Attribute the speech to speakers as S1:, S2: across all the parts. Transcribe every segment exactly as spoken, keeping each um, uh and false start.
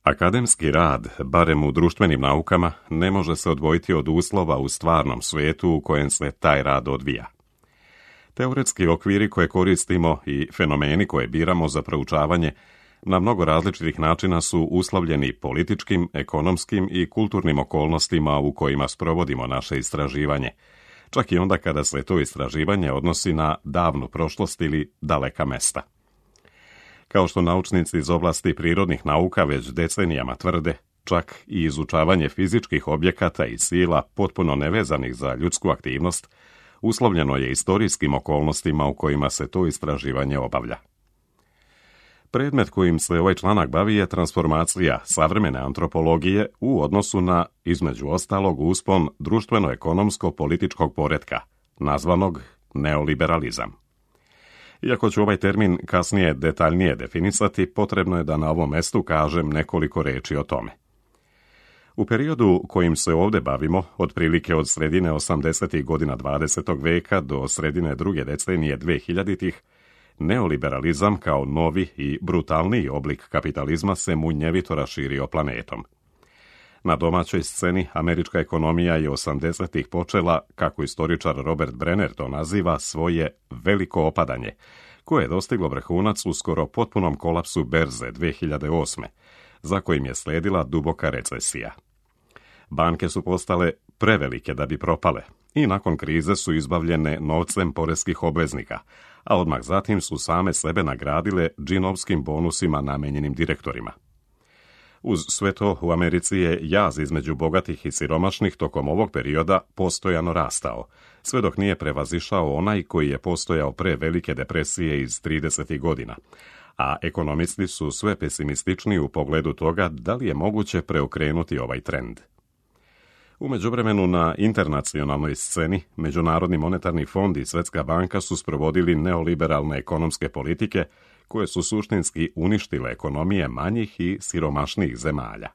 S1: Akademski rad, barem u društvenim naukama, ne može se odvojiti od uslova u stvarnom svijetu u kojem se taj rad odvija. Teoretski okviri koje koristimo i fenomeni koje biramo za proučavanje na mnogo različitih načina su uslovljeni političkim, ekonomskim i kulturnim okolnostima u kojima sprovodimo naše istraživanje, čak i onda kada se to istraživanje odnosi na davnu prošlost ili daleka mesta. Kao što naučnici iz oblasti prirodnih nauka već decenijama tvrde, čak i izučavanje fizičkih objekata i sila potpuno nevezanih za ljudsku aktivnost uslovljeno je istorijskim okolnostima u kojima se to istraživanje obavlja. Predmet kojim se ovaj članak bavi je transformacija savremene antropologije u odnosu na, između ostalog, uspon društveno-ekonomsko-političkog poretka, nazvanog neoliberalizam. Iako ću ovaj termin kasnije detaljnije definisati, potrebno je da na ovom mestu kažem nekoliko reči o tome. U periodu kojim se ovdje bavimo, otprilike od sredine osamdesetih godina dvadesetog veka do sredine druge decenije dvehiljaditih, neoliberalizam kao novi i brutalniji oblik kapitalizma se munjevito raširio planetom. Na domaćoj sceni američka ekonomija je osamdesetih počela, kako istoričar Robert Brenner to naziva, svoje veliko opadanje, koje je dostiglo vrhunac u skoro potpunom kolapsu berze dve hiljade osme, za kojim je sledila duboka recesija. Banke su postale prevelike da bi propale i nakon krize su izbavljene novcem poreskih obveznika, a odmah zatim su same sebe nagradile džinovskim bonusima namenjenim direktorima. Uz sve to u Americi je jaz između bogatih i siromašnih tokom ovog perioda postojano rastao, sve dok nije prevazišao onaj koji je postojao pre velike depresije iz tridesetih godina, a ekonomisti su sve pesimističniji u pogledu toga da li je moguće preokrenuti ovaj trend. U međuvremenu na internacionalnoj sceni Međunarodni monetarni fond i Svjetska banka su sprovodili neoliberalne ekonomske politike koje su suštinski uništile ekonomije manjih i siromašnijih zemalja.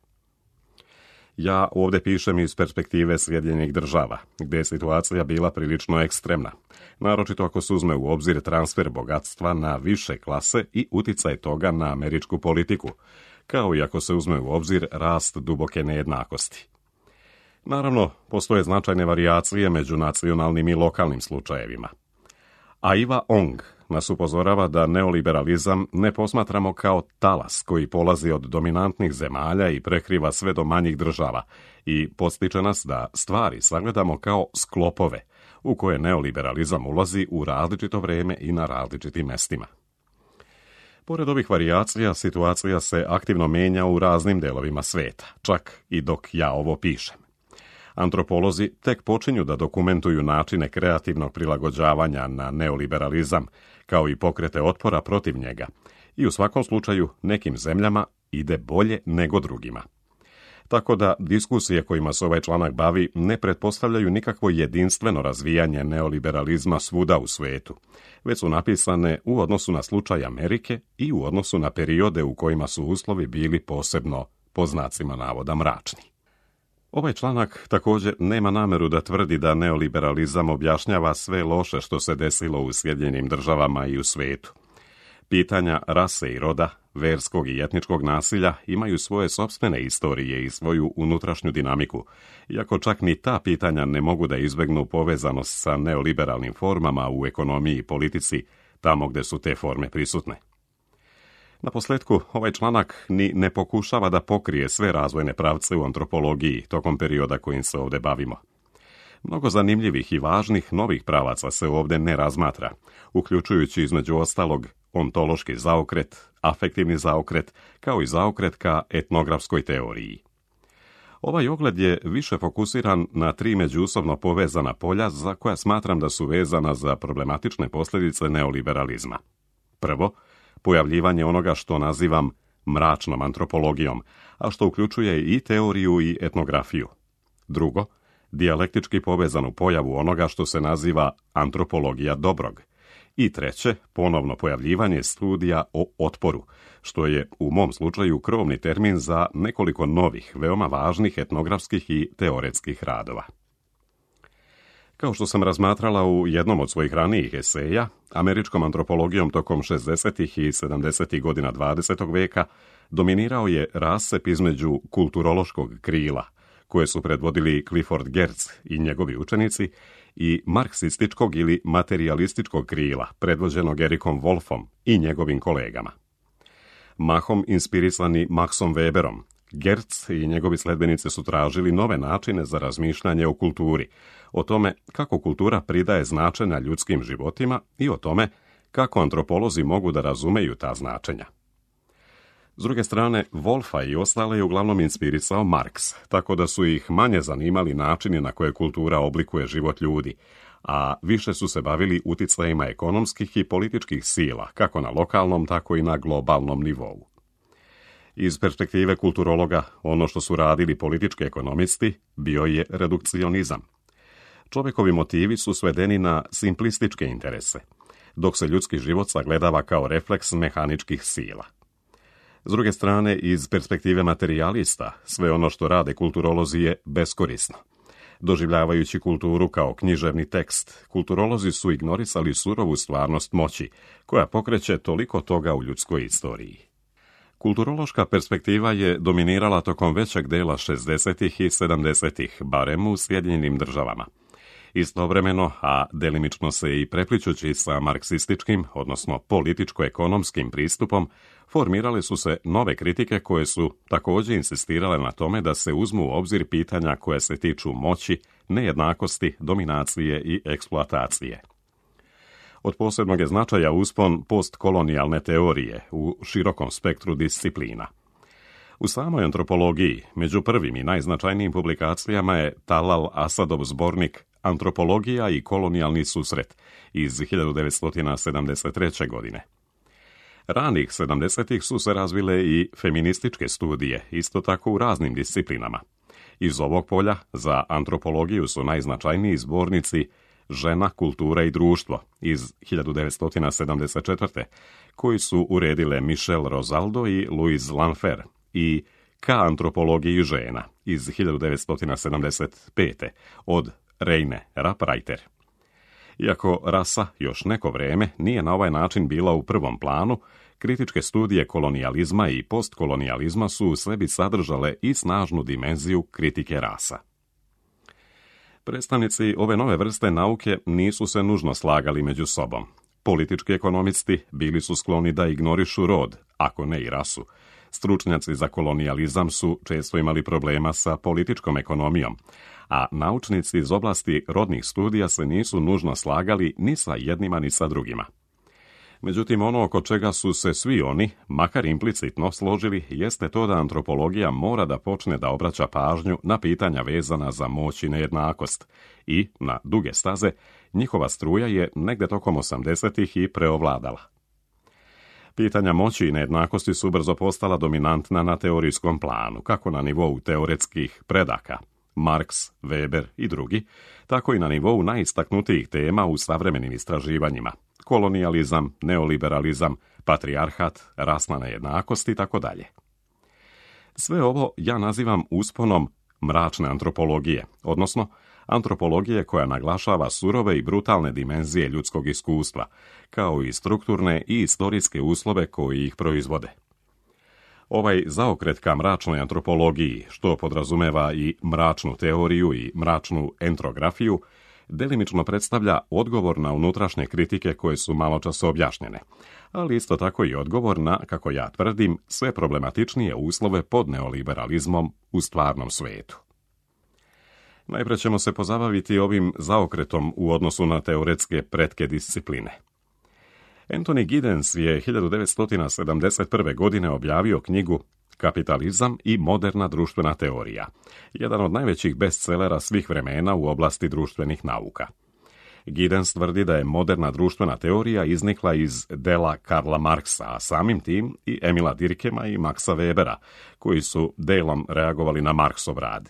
S1: Ja ovdje pišem iz perspektive Sjedinjenih država, gdje je situacija bila prilično ekstremna, naročito ako se uzme u obzir transfer bogatstva na više klase i uticaj toga na američku politiku, kao i ako se uzme u obzir rast duboke nejednakosti. Naravno, postoje značajne varijacije među nacionalnim i lokalnim slučajevima. Aiva Ong nas upozorava da neoliberalizam ne posmatramo kao talas koji polazi od dominantnih zemalja i prekriva sve do manjih država i podstiče nas da stvari sagledamo kao sklopove u koje neoliberalizam ulazi u različito vrijeme i na različitim mestima. Pored ovih varijacija, situacija se aktivno mijenja u raznim delovima sveta, čak i dok ja ovo pišem. Antropolozi tek počinju da dokumentuju načine kreativnog prilagođavanja na neoliberalizam, kao i pokrete otpora protiv njega, i u svakom slučaju nekim zemljama ide bolje nego drugima. Tako da diskusije kojima se ovaj članak bavi ne pretpostavljaju nikakvo jedinstveno razvijanje neoliberalizma svuda u svijetu, već su napisane u odnosu na slučaj Amerike i u odnosu na periode u kojima su uslovi bili posebno, po znacima navoda, mračni. Ovaj članak također nema nameru da tvrdi da neoliberalizam objašnjava sve loše što se desilo u Sjedinjenim državama i u svijetu. Pitanja rase i roda, verskog i etničkog nasilja imaju svoje sopstvene istorije i svoju unutrašnju dinamiku, iako čak ni ta pitanja ne mogu da izbegnu povezanost sa neoliberalnim formama u ekonomiji i politici, tamo gdje su te forme prisutne. Na posljetku, ovaj članak ni ne pokušava da pokrije sve razvojne pravce u antropologiji tokom perioda kojim se ovdje bavimo. Mnogo zanimljivih i važnih novih pravaca se ovdje ne razmatra, uključujući između ostalog ontološki zaokret, afektivni zaokret, kao i zaokret ka etnografskoj teoriji. Ovaj ogled je više fokusiran na tri međusobno povezana polja za koja smatram da su vezana za problematične posljedice neoliberalizma. Prvo, pojavljivanje onoga što nazivam mračnom antropologijom, a što uključuje i teoriju i etnografiju. Drugo, dijalektički povezanu pojavu onoga što se naziva antropologija dobrog. I treće, ponovno pojavljivanje studija o otporu, što je u mom slučaju krovni termin za nekoliko novih, veoma važnih etnografskih i teoretskih radova. Kao što sam razmatrala u jednom od svojih ranijih eseja, američkom antropologijom tokom šezdesetih i sedamdesetih godina dvadesetog veka dominirao je rascep između kulturološkog krila, koje su predvodili Clifford Geertz i njegovi učenici, i marksističkog ili materialističkog krila, predvođenog Ericom Wolffom i njegovim kolegama. Mahom inspirisani Maxom Weberom, Geertz i njegovi sledbenici su tražili nove načine za razmišljanje o kulturi, o tome kako kultura pridaje značenja ljudskim životima i o tome kako antropolozi mogu da razumeju ta značenja. S druge strane, Wolffa i ostale je uglavnom inspirisao Marks, tako da su ih manje zanimali načini na koje kultura oblikuje život ljudi, a više su se bavili uticajima ekonomskih i političkih sila, kako na lokalnom, tako i na globalnom nivou. Iz perspektive kulturologa, ono što su radili politički ekonomisti bio je redukcionizam. Čovjekovi motivi su svedeni na simplističke interese, dok se ljudski život sagledava kao refleks mehaničkih sila. S druge strane, iz perspektive materijalista, sve ono što rade kulturolozi je beskorisno. Doživljavajući kulturu kao književni tekst, kulturolozi su ignorisali surovu stvarnost moći, koja pokreće toliko toga u ljudskoj istoriji. Kulturološka perspektiva je dominirala tokom većeg dela šezdesetih i sedamdesetih, barem u Sjedinjenim državama. Istovremeno, a delimično se i prepličući sa marksističkim, odnosno političko-ekonomskim pristupom, formirale su se nove kritike koje su također insistirale na tome da se uzmu u obzir pitanja koje se tiču moći, nejednakosti, dominacije i eksploatacije. Od posebnog je značaja uspon postkolonijalne teorije u širokom spektru disciplina. U samoj antropologiji, među prvim i najznačajnijim publikacijama je Talal Asadov zbornik Antropologija i kolonijalni susret iz hiljadu devetsto sedamdeset treće. godine. Ranih sedamdesetih su se razvile i feminističke studije, isto tako u raznim disciplinama. Iz ovog polja za antropologiju su najznačajniji zbornici Žena, kultura i društvo iz hiljadu devetsto sedamdeset četvrte. koji su uredile Michel Rosaldo i Louise Lanfer, i Ka antropologiji žena iz hiljadu devetsto sedamdeset pete. od Reine Rappreiter. Iako rasa još neko vreme nije na ovaj način bila u prvom planu, kritičke studije kolonijalizma i postkolonijalizma su u sebi sadržale i snažnu dimenziju kritike rasa. Predstavnici ove nove vrste nauke nisu se nužno slagali među sobom. Politički ekonomisti bili su skloni da ignorišu rod, ako ne i rasu. Stručnjaci za kolonijalizam su često imali problema sa političkom ekonomijom, a naučnici iz oblasti rodnih studija se nisu nužno slagali ni sa jednima ni sa drugima. Međutim, ono oko čega su se svi oni, makar implicitno, složili jeste to da antropologija mora da počne da obraća pažnju na pitanja vezana za moć i nejednakost i, na duge staze, njihova struja je negde tokom osamdesetih i preovladala. Pitanja moći i nejednakosti su brzo postala dominantna na teorijskom planu, kako na nivou teoretskih predaka, Marks, Weber i drugi, tako i na nivou najistaknutijih tema u savremenim istraživanjima, kolonijalizam, neoliberalizam, patrijarhat, rasna nejednakost i tako dalje. Sve ovo ja nazivam usponom mračne antropologije, odnosno antropologije koja naglašava surove i brutalne dimenzije ljudskog iskustva, kao i strukturne i istorijske uslove koji ih proizvode. Ovaj zaokret ka mračnoj antropologiji, što podrazumeva i mračnu teoriju i mračnu entrografiju, delimično predstavlja odgovor na unutrašnje kritike koje su maločas objašnjene, ali isto tako i odgovor na, kako ja tvrdim, sve problematičnije uslove pod neoliberalizmom u stvarnom svetu. Najprije ćemo se pozabaviti ovim zaokretom u odnosu na teoretske pretke discipline. Anthony Giddens je hiljadu devetsto sedamdeset prve. godine objavio knjigu Kapitalizam i moderna društvena teorija, jedan od najvećih bestsellera svih vremena u oblasti društvenih nauka. Giddens tvrdi da je moderna društvena teorija iznikla iz dela Karla Marksa, a samim tim i Emila Durkheima i Maxa Webera, koji su delom reagovali na Marksov rad.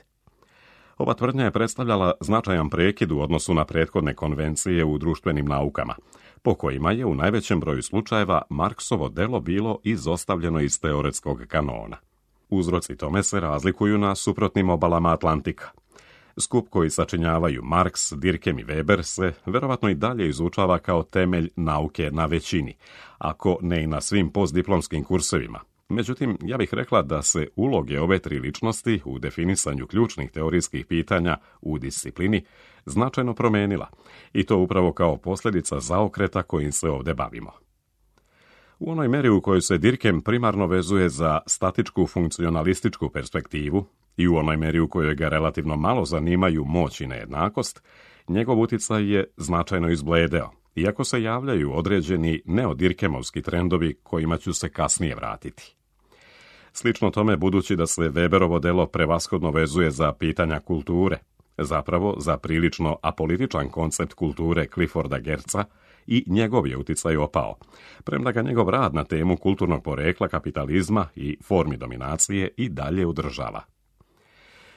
S1: Ova tvrdnja je predstavljala značajan prekid u odnosu na prethodne konvencije u društvenim naukama, po kojima je u najvećem broju slučajeva Marksovo delo bilo izostavljeno iz teoretskog kanona. Uzroci tome se razlikuju na suprotnim obalama Atlantika. Skup koji sačinjavaju Marks, Durkheim i Weber se verovatno i dalje izučava kao temelj nauke na većini, ako ne i na svim postdiplomskim kursevima. Međutim, ja bih rekla da se uloge ove tri ličnosti u definisanju ključnih teorijskih pitanja u disciplini značajno promenila, i to upravo kao posljedica zaokreta kojim se ovdje bavimo. U onoj meri u kojoj se Durkheim primarno vezuje za statičku funkcionalističku perspektivu i u onoj meri u kojoj ga relativno malo zanimaju moć i nejednakost, njegov utjecaj je značajno izbledeo, iako se javljaju određeni neodirkemovski trendovi kojima ću se kasnije vratiti. Slično tome, budući da se Weberovo delo prevashodno vezuje za pitanja kulture, zapravo za prilično apolitičan koncept kulture Clifforda Geertza, i njegov je utjecaj opao, premda ga njegov rad na temu kulturnog porekla kapitalizma i formi dominacije i dalje udržava.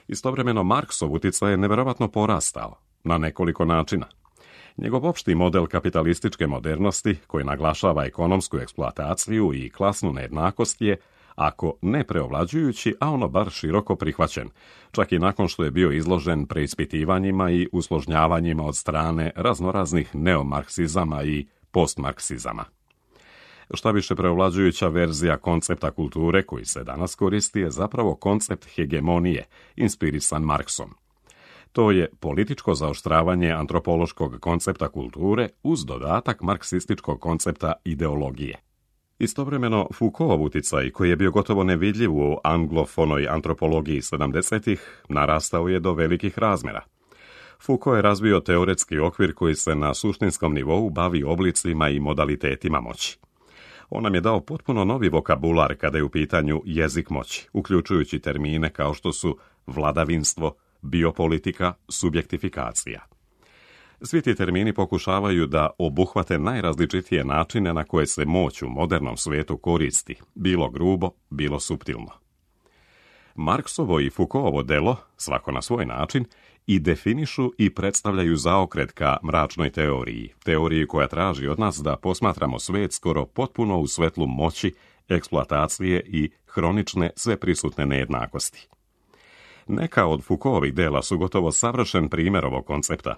S1: Istovremeno, Marksov utjecaj je nevjerovatno porastao, na nekoliko načina. Njegov opšti model kapitalističke modernosti, koji naglašava ekonomsku eksploataciju i klasnu nejednakost, je, ako ne preovlađujući, a ono bar široko prihvaćen, čak i nakon što je bio izložen preispitivanjima i usložnjavanjima od strane raznoraznih neomarksizama i postmarksizama. Šta više, preovlađujuća verzija koncepta kulture koji se danas koristi je zapravo koncept hegemonije, inspirisan Marksom. To je političko zaoštravanje antropološkog koncepta kulture uz dodatak marksističkog koncepta ideologije. Istovremeno, Foucaultov utjecaj, koji je bio gotovo nevidljiv u anglofonoj antropologiji sedamdesetih, narastao je do velikih razmjera. Foucault je razvio teoretski okvir koji se na suštinskom nivou bavi oblicima i modalitetima moći. On nam je dao potpuno novi vokabular kada je u pitanju jezik moći, uključujući termine kao što su vladavinstvo, biopolitika, subjektifikacija. Svi ti termini pokušavaju da obuhvate najrazličitije načine na koje se moć u modernom svijetu koristi, bilo grubo, bilo suptilno. Marksovo i Foucaultovo delo, svako na svoj način, i definišu i predstavljaju zaokret ka mračnoj teoriji, teoriji koja traži od nas da posmatramo svijet skoro potpuno u svetlu moći, eksploatacije i hronične sveprisutne nejednakosti. Neka od Foucaultovih dela su gotovo savršen primjer ovog koncepta.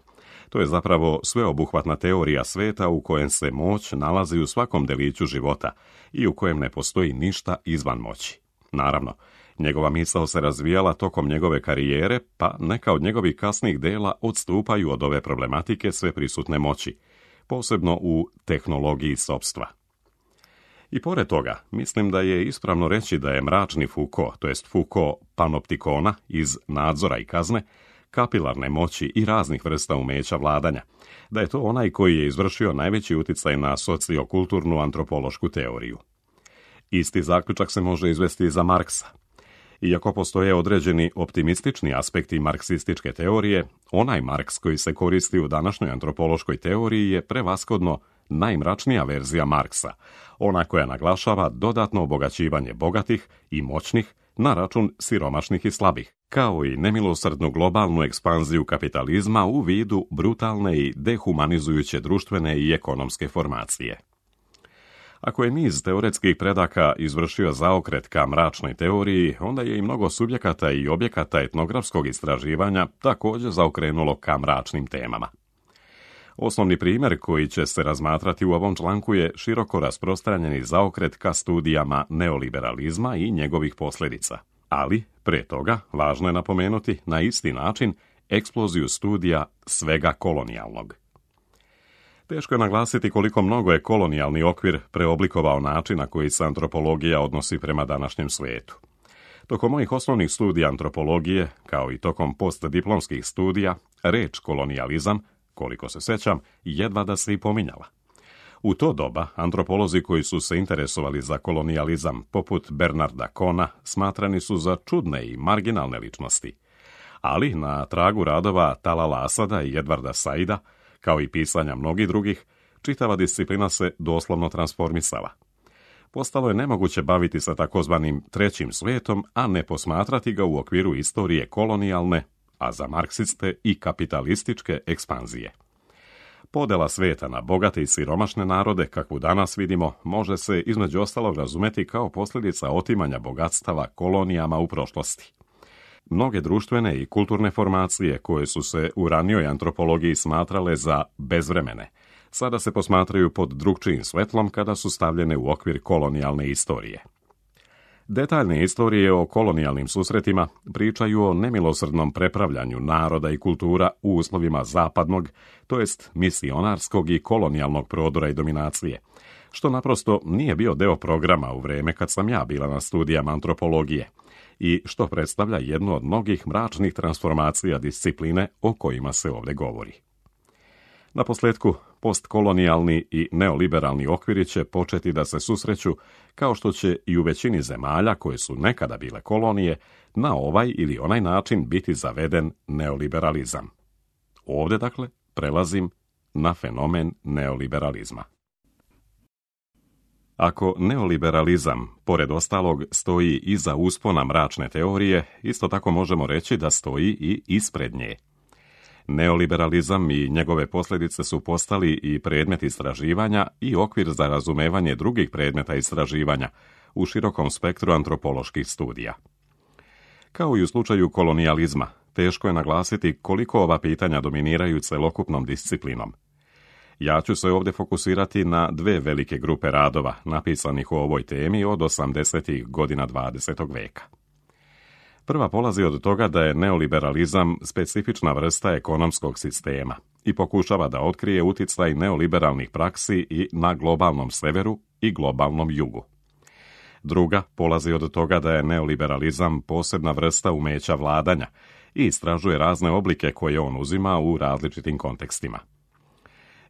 S1: To je zapravo sveobuhvatna teorija svijeta u kojem se moć nalazi u svakom deliću života i u kojem ne postoji ništa izvan moći. Naravno, njegova misao se razvijala tokom njegove karijere, pa neka od njegovih kasnijih dela odstupaju od ove problematike sveprisutne moći, posebno u tehnologiji sopstva. I pored toga, mislim da je ispravno reći da je mračni Foucault, to jest Foucault panoptikona iz Nadzora i kazne, kapilarne moći i raznih vrsta umeća vladanja, da je to onaj koji je izvršio najveći utjecaj na sociokulturnu antropološku teoriju. Isti zaključak se može izvesti i za Marksa. Iako postoje određeni optimistični aspekti marksističke teorije, onaj Marks koji se koristi u današnjoj antropološkoj teoriji je prevashodno najmračnija verzija Marksa, ona koja naglašava dodatno obogaćivanje bogatih i moćnih na račun siromašnih i slabih, kao i nemilosrdnu globalnu ekspanziju kapitalizma u vidu brutalne i dehumanizujuće društvene i ekonomske formacije. Ako je niz teoretskih predaka izvršio zaokret ka mračnoj teoriji, onda je i mnogo subjekata i objekata etnografskog istraživanja također zaokrenulo ka mračnim temama. Osnovni primjer koji će se razmatrati u ovom članku je široko rasprostranjeni zaokret ka studijama neoliberalizma i njegovih posljedica. Ali, pre toga, važno je napomenuti na isti način eksploziju studija svega kolonijalnog. Teško je naglasiti koliko mnogo je kolonijalni okvir preoblikovao način na koji se antropologija odnosi prema današnjem svijetu. Tokom mojih osnovnih studija antropologije, kao i tokom postdiplomskih studija, reč kolonijalizam, koliko se sećam, jedva da se i pominjala. U to doba, antropolozi koji su se interesovali za kolonijalizam, poput Bernarda Kona, smatrani su za čudne i marginalne ličnosti. Ali, na tragu radova Talala Asada i Edvarda Saida, kao i pisanja mnogih drugih, čitava disciplina se doslovno transformisala. Postalo je nemoguće baviti sa takozvanim trećim svijetom, a ne posmatrati ga u okviru istorije kolonijalne, a za marksiste i kapitalističke ekspanzije. Podela svijeta na bogate i siromašne narode, kakvu danas vidimo, može se između ostalog razumeti kao posljedica otimanja bogatstava kolonijama u prošlosti. Mnoge društvene i kulturne formacije koje su se u ranijoj antropologiji smatrale za bezvremene, sada se posmatraju pod drukčijim svetlom kada su stavljene u okvir kolonijalne istorije. Detaljne istorije o kolonijalnim susretima pričaju o nemilosrdnom prepravljanju naroda i kultura u uslovima zapadnog, to jest misionarskog i kolonijalnog prodora i dominacije, što naprosto nije bio deo programa u vrijeme kad sam ja bila na studijama antropologije i što predstavlja jednu od mnogih mračnih transformacija discipline o kojima se ovdje govori. Naposljetku, postkolonijalni i neoliberalni okviri će početi da se susreću, kao što će i u većini zemalja koje su nekada bile kolonije, na ovaj ili onaj način biti zaveden neoliberalizam. Ovdje, dakle, prelazim na fenomen neoliberalizma. Ako neoliberalizam, pored ostalog, stoji iza uspona mračne teorije, isto tako možemo reći da stoji i ispred nje. Neoliberalizam i njegove posljedice su postali i predmet istraživanja i okvir za razumevanje drugih predmeta istraživanja u širokom spektru antropoloških studija. Kao i u slučaju kolonijalizma, teško je naglasiti koliko ova pitanja dominiraju celokupnom disciplinom. Ja ću se ovdje fokusirati na dve velike grupe radova napisanih u ovoj temi od osamdesetih godina dvadesetog veka. Prva polazi od toga da je neoliberalizam specifična vrsta ekonomskog sistema i pokušava da otkrije uticaj neoliberalnih praksi i na globalnom severu i globalnom jugu. Druga polazi od toga da je neoliberalizam posebna vrsta umeća vladanja i istražuje razne oblike koje on uzima u različitim kontekstima.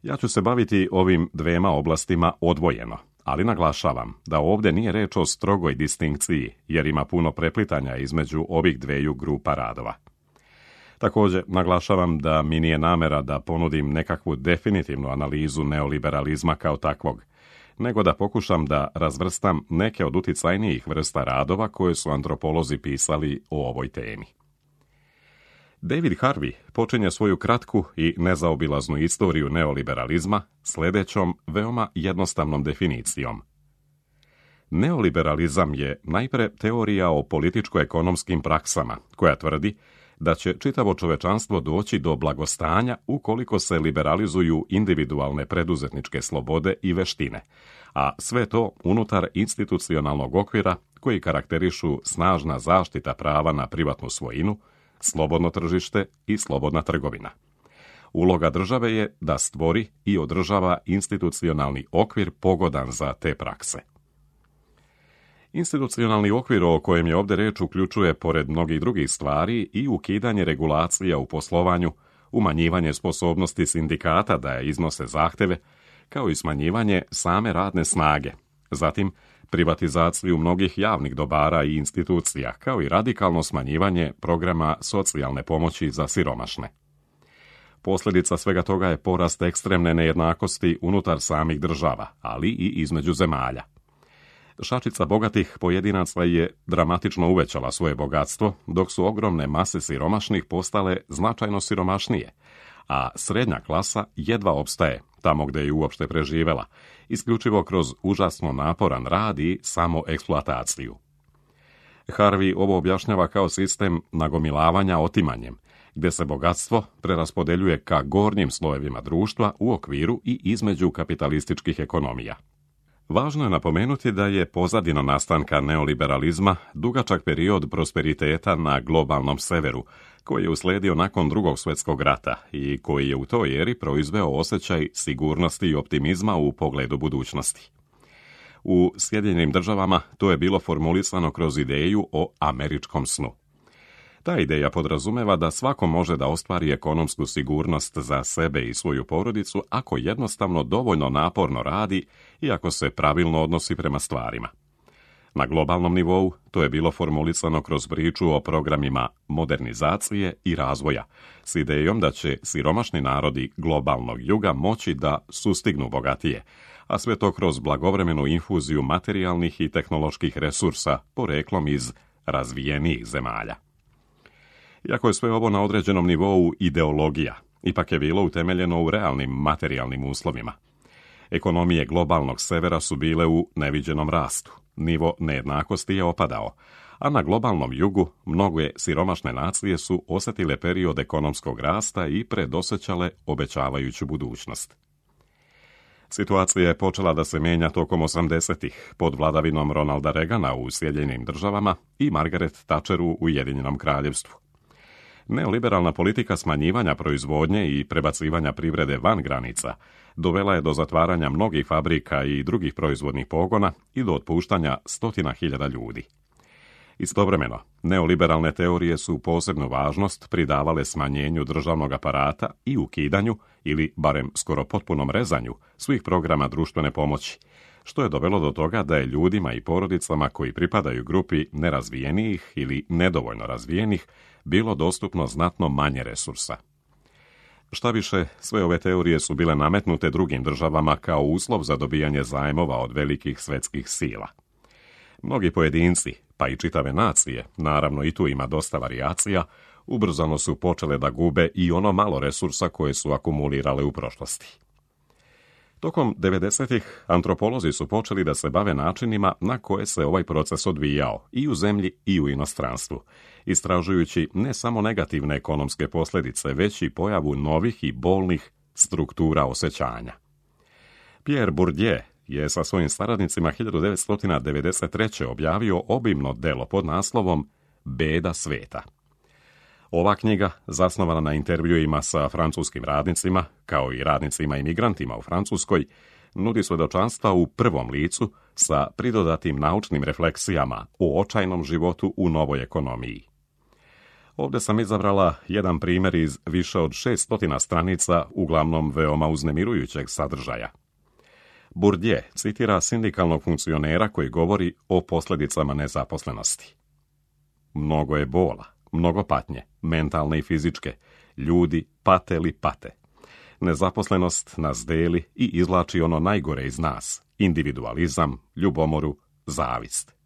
S1: Ja ću se baviti ovim dvema oblastima odvojeno, ali naglašavam da ovdje nije reč o strogoj distinkciji, jer ima puno preplitanja između ovih dveju grupa radova. Također, naglašavam da mi nije namera da ponudim nekakvu definitivnu analizu neoliberalizma kao takvog, nego da pokušam da razvrstam neke od uticajnijih vrsta radova koje su antropolozi pisali o ovoj temi. David Harvey počinje svoju kratku i nezaobilaznu istoriju neoliberalizma sljedećom veoma jednostavnom definicijom. Neoliberalizam je najpre teorija o političko-ekonomskim praksama, koja tvrdi da će čitavo čovečanstvo doći do blagostanja ukoliko se liberalizuju individualne preduzetničke slobode i veštine, a sve to unutar institucionalnog okvira koji karakterišu snažna zaštita prava na privatnu svojinu, slobodno tržište i slobodna trgovina. Uloga države je da stvori i održava institucionalni okvir pogodan za te prakse. Institucionalni okvir o kojem je ovdje reč uključuje, pored mnogih drugih stvari, i ukidanje regulacija u poslovanju, umanjivanje sposobnosti sindikata da iznose zahteve, kao i smanjivanje same radne snage, zatim privatizaciju mnogih javnih dobara i institucija, kao i radikalno smanjivanje programa socijalne pomoći za siromašne. Posljedica svega toga je porast ekstremne nejednakosti unutar samih država, ali i između zemalja. Šačica bogatih pojedinaca je dramatično uvećala svoje bogatstvo, dok su ogromne mase siromašnih postale značajno siromašnije, a srednja klasa jedva opstaje tamo gdje je uopšte preživela, isključivo kroz užasno naporan rad i samoeksploataciju. Harvey ovo objašnjava kao sistem nagomilavanja otimanjem, gdje se bogatstvo preraspodeljuje ka gornjim slojevima društva u okviru i između kapitalističkih ekonomija. Važno je napomenuti da je pozadina nastanka neoliberalizma dugačak period prosperiteta na globalnom severu, koji je uslijedio nakon Drugog svjetskog rata i koji je u toj eri proizveo osjećaj sigurnosti i optimizma u pogledu budućnosti. U Sjedinjenim državama to je bilo formulisano kroz ideju o američkom snu. Ta ideja podrazumeva da svako može da ostvari ekonomsku sigurnost za sebe i svoju porodicu ako jednostavno dovoljno naporno radi i ako se pravilno odnosi prema stvarima. Na globalnom nivou to je bilo formulisano kroz priču o programima modernizacije i razvoja, s idejom da će siromašni narodi globalnog juga moći da sustignu bogatije, a sve to kroz blagovremenu infuziju materijalnih i tehnoloških resursa poreklom iz razvijenijih zemalja. Iako je sve ovo na određenom nivou ideologija, ipak je bilo utemeljeno u realnim materijalnim uslovima. Ekonomije globalnog severa su bile u neviđenom rastu, nivo nejednakosti je opadao, a na globalnom jugu mnoge siromašne nacije su osjetile period ekonomskog rasta i predosjećale obećavajuću budućnost. Situacija je počela da se mijenja tokom osamdesetih pod vladavinom Ronalda Reagana u Sjedinjenim državama i Margaret Thatcher u Ujedinjenom kraljevstvu. Neoliberalna politika smanjivanja proizvodnje i prebacivanja privrede van granica dovela je do zatvaranja mnogih fabrika i drugih proizvodnih pogona i do otpuštanja stotina hiljada ljudi. Istovremeno, neoliberalne teorije su posebnu važnost pridavale smanjenju državnog aparata i ukidanju, ili barem skoro potpunom rezanju, svih programa društvene pomoći, što je dovelo do toga da je ljudima i porodicama koji pripadaju grupi nerazvijenijih ili nedovoljno razvijenih bilo dostupno znatno manje resursa. Šta više, sve ove teorije su bile nametnute drugim državama kao uslov za dobijanje zajmova od velikih svetskih sila. Mnogi pojedinci, pa i čitave nacije, naravno i tu ima dosta varijacija, ubrzano su počele da gube i ono malo resursa koje su akumulirale u prošlosti. Tokom devedesetih antropolozi su počeli da se bave načinima na koje se ovaj proces odvijao i u zemlji i u inostranstvu, istražujući ne samo negativne ekonomske posljedice, već i pojavu novih i bolnih struktura osjećanja. Pierre Bourdieu je sa svojim saradnicima hiljadu devetsto devedeset treće objavio obimno delo pod naslovom Beda sveta. Ova knjiga, zasnovana na intervjuima sa francuskim radnicima, kao i radnicima imigrantima u Francuskoj, nudi svjedočanstva u prvom licu sa pridodatim naučnim refleksijama o očajnom životu u novoj ekonomiji. Ovdje sam izabrala jedan primjer iz više od šeststotina stranica, uglavnom veoma uznemirujućeg sadržaja. Bourdieu citira sindikalnog funkcionera koji govori o posljedicama nezaposlenosti. Mnogo je bola, mnogo patnje, mentalne i fizičke. Ljudi pate li pate. Nezaposlenost nas deli i izvlači ono najgore iz nas. Individualizam, ljubomoru, zavist.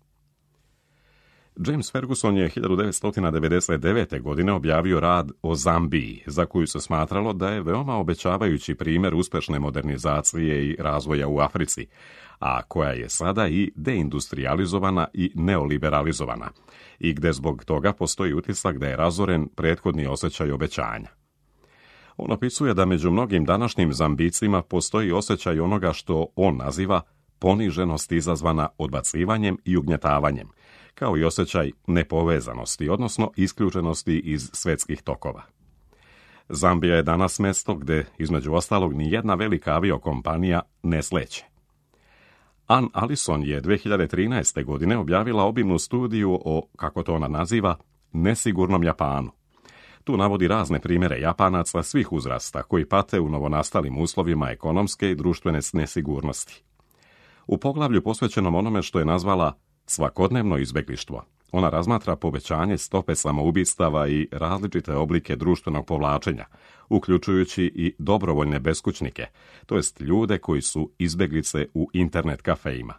S1: James Ferguson je hiljadu devetsto devedeset devete. godine objavio rad o Zambiji, za koju se smatralo da je veoma obećavajući primjer uspješne modernizacije i razvoja u Africi, a koja je sada i deindustrializovana i neoliberalizovana, i gdje zbog toga postoji utisak da je razoren prethodni osjećaj obećanja. On opisuje da među mnogim današnjim Zambicima postoji osjećaj onoga što on naziva poniženost izazvana odbacivanjem i ugnjetavanjem, kao i osjećaj nepovezanosti, odnosno isključenosti iz svjetskih tokova. Zambija je danas mjesto gdje, između ostalog, ni jedna velika aviokompanija ne sleće. Ann Allison je dvije hiljade trinaeste. godine objavila obimnu studiju o, kako to ona naziva, nesigurnom Japanu. Tu navodi razne primjere Japanaca svih uzrasta koji pate u novonastalim uslovima ekonomske i društvene nesigurnosti. U poglavlju posvećenom onome što je nazvala svakodnevno izbjeglištvo, ona razmatra povećanje stope samoubistava i različite oblike društvenog povlačenja, uključujući i dobrovoljne beskućnike, to jest ljude koji su izbjeglice u internet kafejima.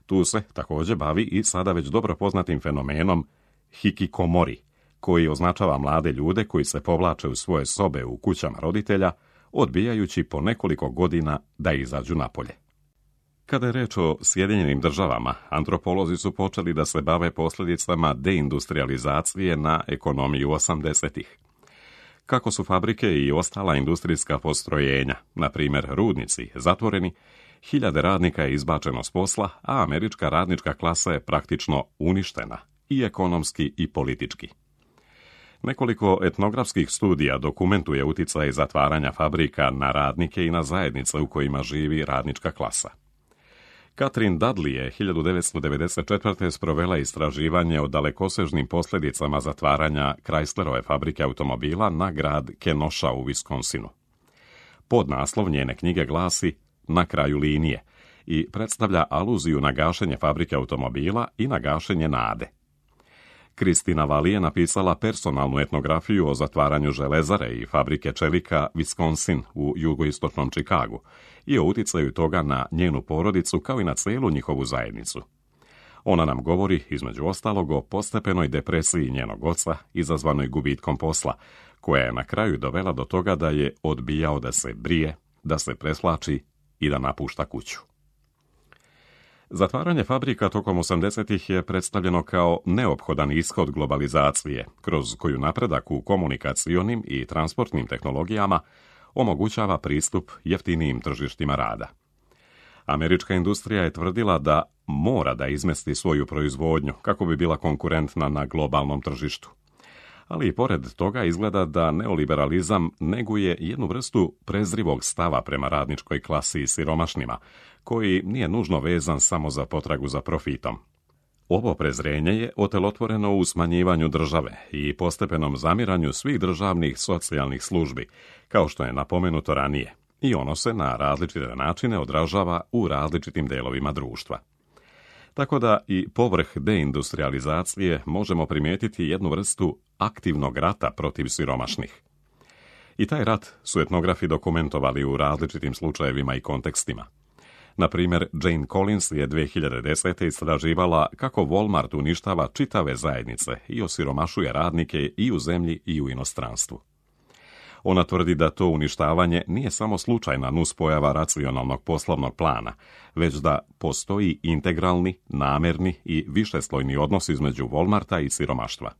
S1: Tu se također bavi i sada već dobro poznatim fenomenom hikikomori, koji označava mlade ljude koji se povlače u svoje sobe u kućama roditelja, odbijajući po nekoliko godina da izađu napolje. Kada je reč o Sjedinjenim državama, antropolozi su počeli da se bave posljedicama deindustrializacije na ekonomiju osamdesetih. Kako su fabrike i ostala industrijska postrojenja, na primjer rudnici, zatvoreni, hiljade radnika je izbačeno s posla, a američka radnička klasa je praktično uništena, i ekonomski i politički. Nekoliko etnografskih studija dokumentuje utjecaj zatvaranja fabrika na radnike i na zajednice u kojima živi radnička klasa. Catherine Dudley je hiljadu devetsto devedeset četvrte. sprovela istraživanje o dalekosežnim posljedicama zatvaranja Chryslerove fabrike automobila na grad Kenosha u Wisconsinu. Podnaslov njene knjige glasi Na kraju linije i predstavlja aluziju na gašenje fabrike automobila i na gašenje nade. Kristina Vali je napisala personalnu etnografiju o zatvaranju železare i fabrike čelika Wisconsin u jugoistočnom Čikagu i o utjecaju toga na njenu porodicu kao i na cijelu njihovu zajednicu. Ona nam govori, između ostalog, o postepenoj depresiji njenog oca izazvanoj gubitkom posla, koja je na kraju dovela do toga da je odbijao da se brije, da se preslači i da napušta kuću. Zatvaranje fabrika tokom osamdesetih je predstavljeno kao neophodan ishod globalizacije, kroz koju napredak u komunikacionim i transportnim tehnologijama omogućava pristup jeftinijim tržištima rada. Američka industrija je tvrdila da mora da izmesti svoju proizvodnju kako bi bila konkurentna na globalnom tržištu. Ali i pored toga izgleda da neoliberalizam neguje jednu vrstu prezrivog stava prema radničkoj klasi i siromašnima, koji nije nužno vezan samo za potragu za profitom. Ovo prezrenje je otelotvoreno u smanjivanju države i postepenom zamiranju svih državnih socijalnih službi, kao što je napomenuto ranije, i ono se na različite načine odražava u različitim delovima društva. Tako da i povrh deindustrializacije možemo primijetiti jednu vrstu aktivnog rata protiv siromašnih. I taj rat su etnografi dokumentovali u različitim slučajevima i kontekstima. Na primjer, Jane Collins je dvije hiljade desete. istraživala kako Walmart uništava čitave zajednice i osiromašuje radnike i u zemlji i u inostranstvu. Ona tvrdi da to uništavanje nije samo slučajna nuspojava racionalnog poslovnog plana, već da postoji integralni, namerni i višeslojni odnos između Walmarta i siromaštva.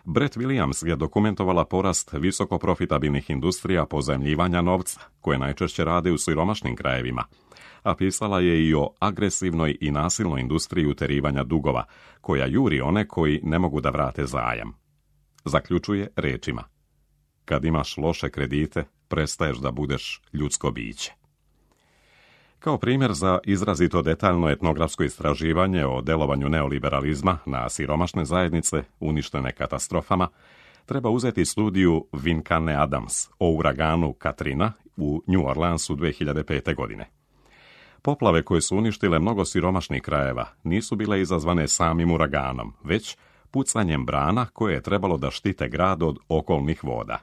S1: Brett Williams je dokumentovala porast visokoprofitabilnih industrija pozajmljivanja novca, koje najčešće rade u siromašnim krajevima, a pisala je i o agresivnoj i nasilnoj industriji uterivanja dugova, koja juri one koji ne mogu da vrate zajam. Zaključuje rečima: kad imaš loše kredite, prestaješ da budeš ljudsko biće. Kao primjer za izrazito detaljno etnografsko istraživanje o delovanju neoliberalizma na siromašne zajednice uništene katastrofama, treba uzeti studiju Vinkane Adams o uraganu Katrina u New Orleansu dvije hiljade pete. godine. Poplave koje su uništile mnogo siromašnih krajeva nisu bile izazvane samim uraganom, već pucanjem brana koje je trebalo da štite grad od okolnih voda.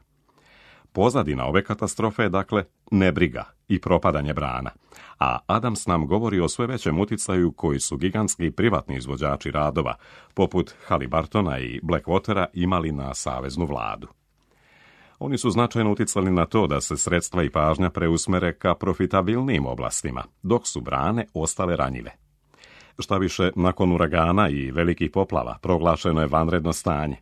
S1: Pozadina ove katastrofe je dakle nebriga i propadanje brana, a Adams nam govori o sve većem uticaju koji su gigantski privatni izvođači radova, poput Halliburtona i Blackwatera, imali na saveznu vladu. Oni su značajno uticali na to da se sredstva i pažnja preusmere ka profitabilnijim oblastima, dok su brane ostale ranjive. Šta više, nakon uragana i velikih poplava proglašeno je vanredno stanje,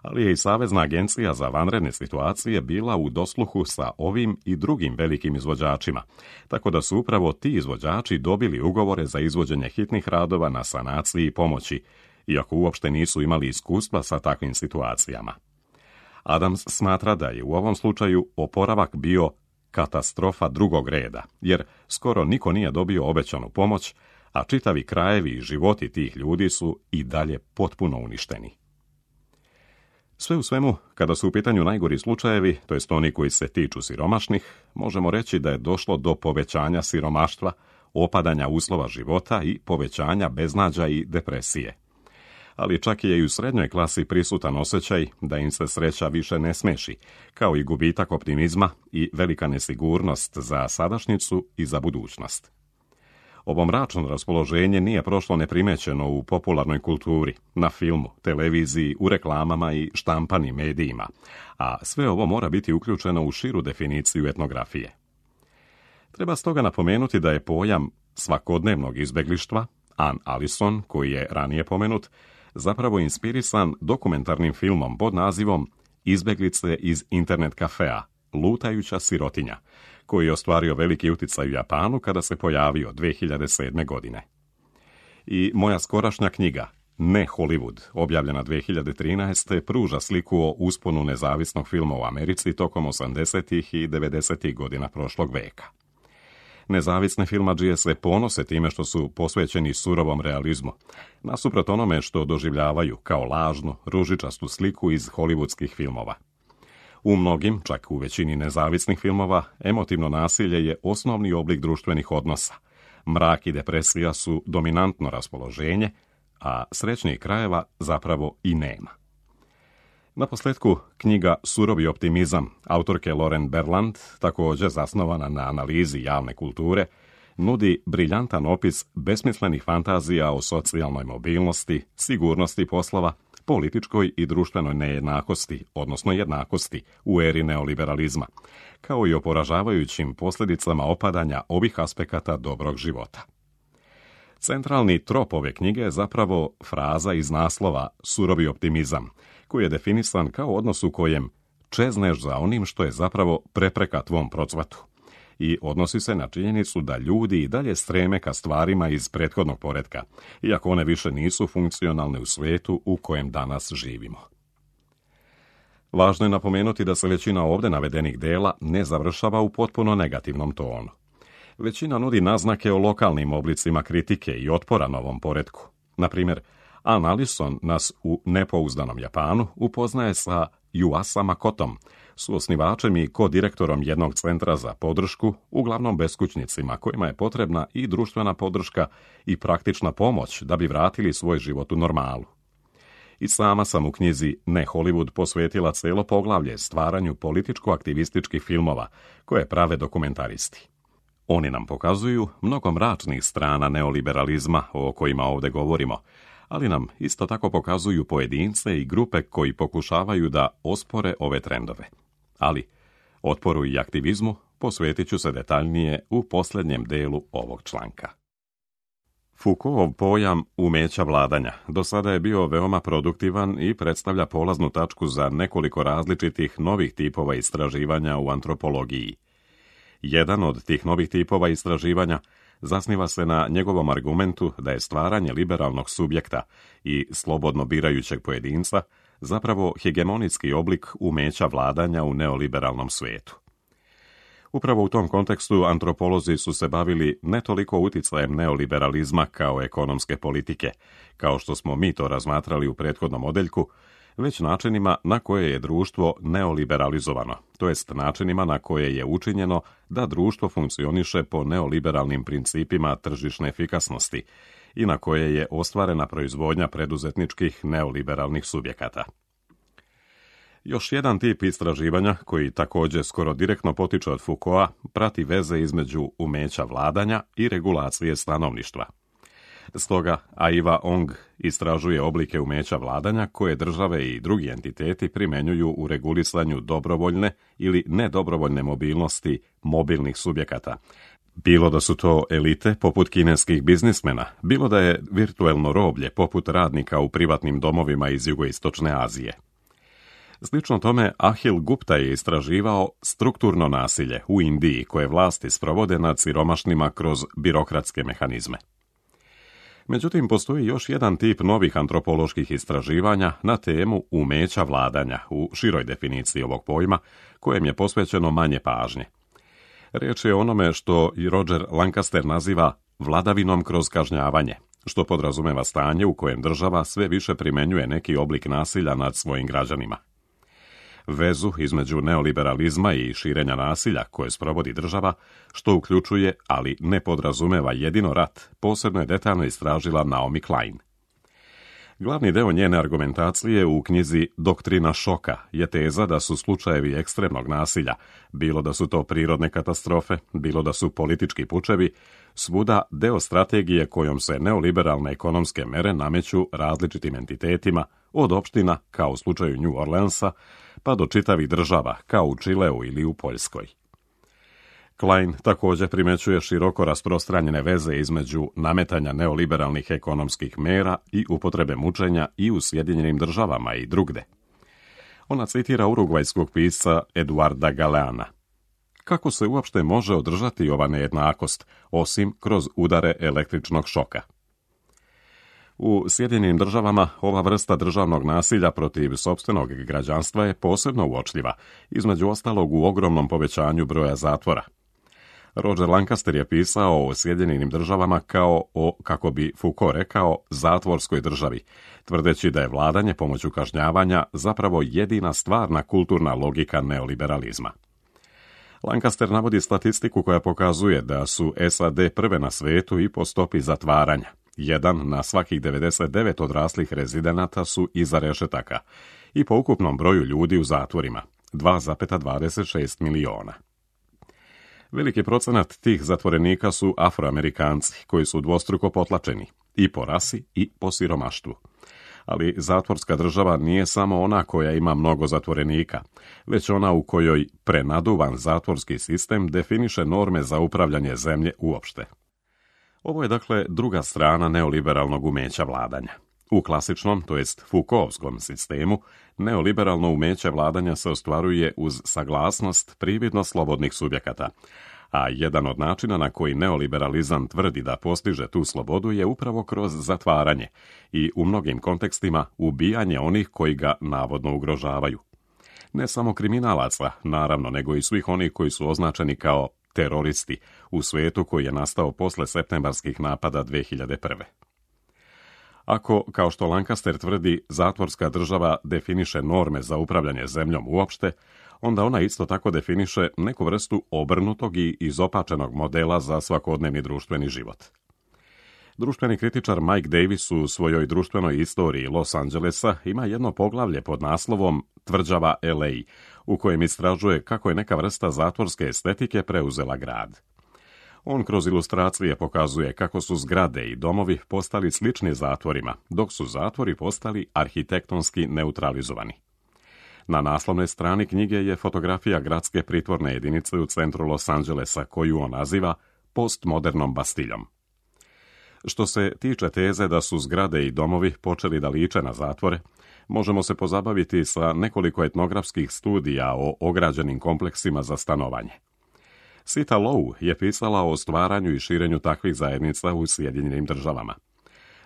S1: ali je i Savezna agencija za vanredne situacije bila u dosluhu sa ovim i drugim velikim izvođačima, tako da su upravo ti izvođači dobili ugovore za izvođenje hitnih radova na sanaciji i pomoći, iako uopšte nisu imali iskustva sa takvim situacijama. Adams smatra da je u ovom slučaju oporavak bio katastrofa drugog reda, jer skoro niko nije dobio obećanu pomoć, a čitavi krajevi i životi tih ljudi su i dalje potpuno uništeni. Sve u svemu, kada su u pitanju najgori slučajevi, to jest oni koji se tiču siromašnih, možemo reći da je došlo do povećanja siromaštva, opadanja uslova života i povećanja beznađa i depresije. Ali čak je i u srednjoj klasi prisutan osjećaj da im se sreća više ne smeši, kao i gubitak optimizma i velika nesigurnost za sadašnjicu i za budućnost. Ovo mračno raspoloženje nije prošlo neprimećeno u popularnoj kulturi, na filmu, televiziji, u reklamama i štampanim medijima, a sve ovo mora biti uključeno u širu definiciju etnografije. Treba stoga napomenuti da je pojam svakodnevnog izbeglištva, Ann Allison, koji je ranije pomenut, zapravo inspirisan dokumentarnim filmom pod nazivom Izbeglice iz internet kafea, lutajuća sirotinja, koji je ostvario veliki uticaj u Japanu kada se pojavio dvije hiljade sedme. godine. I moja skorašnja knjiga, Ne Hollywood, objavljena dvije hiljade trinaeste. pruža sliku o usponu nezavisnog filma u Americi tokom osamdesetih i devedesetih godina prošlog veka. Nezavisne filmadžije se ponose time što su posvećeni surovom realizmu, nasuprot onome što doživljavaju kao lažnu, ružičastu sliku iz hollywoodskih filmova. U mnogim, čak u većini nezavisnih filmova, emotivno nasilje je osnovni oblik društvenih odnosa. Mrak i depresija su dominantno raspoloženje, a srećnijih krajeva zapravo i nema. Naposljetku, knjiga Surovi optimizam autorke Lauren Berland, također zasnovana na analizi javne kulture, nudi briljantan opis besmislenih fantazija o socijalnoj mobilnosti, sigurnosti poslova, političkoj i društvenoj nejednakosti, odnosno jednakosti u eri neoliberalizma, kao i o poražavajućim posljedicama opadanja ovih aspekata dobrog života. Centralni trop ove knjige je zapravo fraza iz naslova Surovi optimizam, koji je definisan kao odnos u kojem čezneš za onim što je zapravo prepreka tvom procvatu i odnosi se na činjenicu da ljudi i dalje streme ka stvarima iz prethodnog poretka, iako one više nisu funkcionalne u svijetu u kojem danas živimo. Važno je napomenuti da se većina ovdje navedenih dela ne završava u potpuno negativnom tonu. Većina nudi naznake o lokalnim oblicima kritike i otpora novom poretku. Na primjer, Ann Allison nas u Nepouzdanom Japanu upoznaje sa Yuasa Makotom, suosnivačem i kodirektorom jednog centra za podršku, uglavnom beskućnicima kojima je potrebna i društvena podrška i praktična pomoć da bi vratili svoj život u normalu. I sama sam u knjizi Ne Hollywood posvetila cijelo poglavlje stvaranju političko-aktivističkih filmova koje prave dokumentaristi. Oni nam pokazuju mnogo mračnih strana neoliberalizma o kojima ovdje govorimo, ali nam isto tako pokazuju pojedince i grupe koji pokušavaju da ospore ove trendove. Ali otporu i aktivizmu posvetit ću se detaljnije u posljednjem delu ovog članka. Foucaultov pojam umeća vladanja do sada je bio veoma produktivan i predstavlja polaznu tačku za nekoliko različitih novih tipova istraživanja u antropologiji. Jedan od tih novih tipova istraživanja zasniva se na njegovom argumentu da je stvaranje liberalnog subjekta i slobodno birajućeg pojedinca zapravo hegemonijski oblik umeća vladanja u neoliberalnom svijetu. Upravo u tom kontekstu antropolozi su se bavili ne toliko uticajem neoliberalizma kao ekonomske politike, kao što smo mi to razmatrali u prethodnom odeljku, već načinima na koje je društvo neoliberalizovano, to jest načinima na koje je učinjeno da društvo funkcioniše po neoliberalnim principima tržišne efikasnosti i na koje je ostvarena proizvodnja preduzetničkih neoliberalnih subjekata. Još jedan tip istraživanja, koji također skoro direktno potiče od Foucaulta, prati veze između umeća vladanja i regulacije stanovništva. Stoga Aiva Ong istražuje oblike umeća vladanja koje države i drugi entiteti primjenjuju u regulisanju dobrovoljne ili nedobrovoljne mobilnosti mobilnih subjekata. Bilo da su to elite poput kineskih biznismena, bilo da je virtuelno roblje poput radnika u privatnim domovima iz jugoistočne Azije. Slično tome, Ahil Gupta je istraživao strukturno nasilje u Indiji koje vlasti sprovode nad siromašnima kroz birokratske mehanizme. Međutim, postoji još jedan tip novih antropoloških istraživanja na temu umeća vladanja u široj definiciji ovog pojma, kojem je posvećeno manje pažnje. Riječ je o onome što i Roger Lancaster naziva vladavinom kroz kažnjavanje, što podrazumeva stanje u kojem država sve više primjenjuje neki oblik nasilja nad svojim građanima. Vezu između neoliberalizma i širenja nasilja koje sprovodi država, što uključuje, ali ne podrazumeva jedino rat, posebno je detaljno istražila Naomi Klein. Glavni deo njene argumentacije u knjizi Doktrina šoka je teza da su slučajevi ekstremnog nasilja, bilo da su to prirodne katastrofe, bilo da su politički pučevi, svuda deo strategije kojom se neoliberalne ekonomske mere nameću različitim entitetima, od opština, kao u slučaju New Orleansa, pa do čitavih država, kao u Čileu ili u Poljskoj. Klein također primećuje široko rasprostranjene veze između nametanja neoliberalnih ekonomskih mera i upotrebe mučenja i u Sjedinjenim državama i drugde. Ona citira urugvajskog pisca Eduarda Galeana. Kako se uopšte može održati ova nejednakost, osim kroz udare električnog šoka? U Sjedinjenim državama ova vrsta državnog nasilja protiv sopstvenog građanstva je posebno uočljiva, između ostalog u ogromnom povećanju broja zatvora. Roger Lancaster je pisao o Sjedinjenim državama kao o, kako bi Foucault rekao, zatvorskoj državi, tvrdeći da je vladanje pomoću kažnjavanja zapravo jedina stvarna kulturna logika neoliberalizma. Lancaster navodi statistiku koja pokazuje da su S A D prve na svijetu i po stopi zatvaranja. Jedan na svakih devedeset devet odraslih rezidenata su iza rešetaka i po ukupnom broju ljudi u zatvorima, dva zarez dvadeset šest miliona. Veliki procenat tih zatvorenika su Afroamerikanci, koji su dvostruko potlačeni, i po rasi i po siromaštvu. Ali zatvorska država nije samo ona koja ima mnogo zatvorenika, već ona u kojoj prenaduvan zatvorski sistem definiše norme za upravljanje zemlje uopšte. Ovo je dakle druga strana neoliberalnog umeća vladanja. U klasičnom, to jest Foucaultskom sistemu, neoliberalno umeće vladanja se ostvaruje uz saglasnost prividno slobodnih subjekata, a jedan od načina na koji neoliberalizam tvrdi da postiže tu slobodu je upravo kroz zatvaranje i u mnogim kontekstima ubijanje onih koji ga navodno ugrožavaju. Ne samo kriminalaca, naravno, nego i svih onih koji su označeni kao teroristi u svijetu koji je nastao posle septembarskih napada dve hiljade prve. Ako, kao što Lancaster tvrdi, zatvorska država definiše norme za upravljanje zemljom uopšte, onda ona isto tako definiše neku vrstu obrnutog i izopačenog modela za svakodnevni društveni život. Društveni kritičar Mike Davis u svojoj društvenoj istoriji Los Angelesa ima jedno poglavlje pod naslovom Tvrđava L A, u kojem istražuje kako je neka vrsta zatvorske estetike preuzela grad. On kroz ilustracije pokazuje kako su zgrade i domovi postali slični zatvorima, dok su zatvori postali arhitektonski neutralizovani. Na naslovnoj strani knjige je fotografija gradske pritvorne jedinice u centru Los Angelesa, koju on naziva postmodernom Bastiljom. Što se tiče teze da su zgrade i domovi počeli da liče na zatvore, možemo se pozabaviti sa nekoliko etnografskih studija o ograđenim kompleksima za stanovanje. Sita Low je pisala o stvaranju i širenju takvih zajednica u Sjedinjenim državama.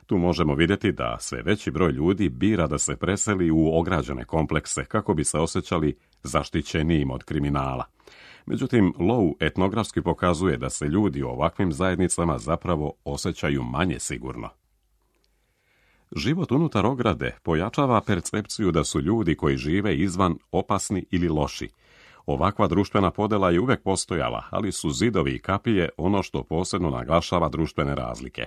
S1: Tu možemo vidjeti da sve veći broj ljudi bira da se preseli u ograđene komplekse kako bi se osjećali zaštićenijim od kriminala. Međutim, Low etnografski pokazuje da se ljudi u ovakvim zajednicama zapravo osjećaju manje sigurno. Život unutar ograde pojačava percepciju da su ljudi koji žive izvan opasni ili loši. Ovakva društvena podela je uvek postojala, ali su zidovi i kapije ono što posebno naglašava društvene razlike.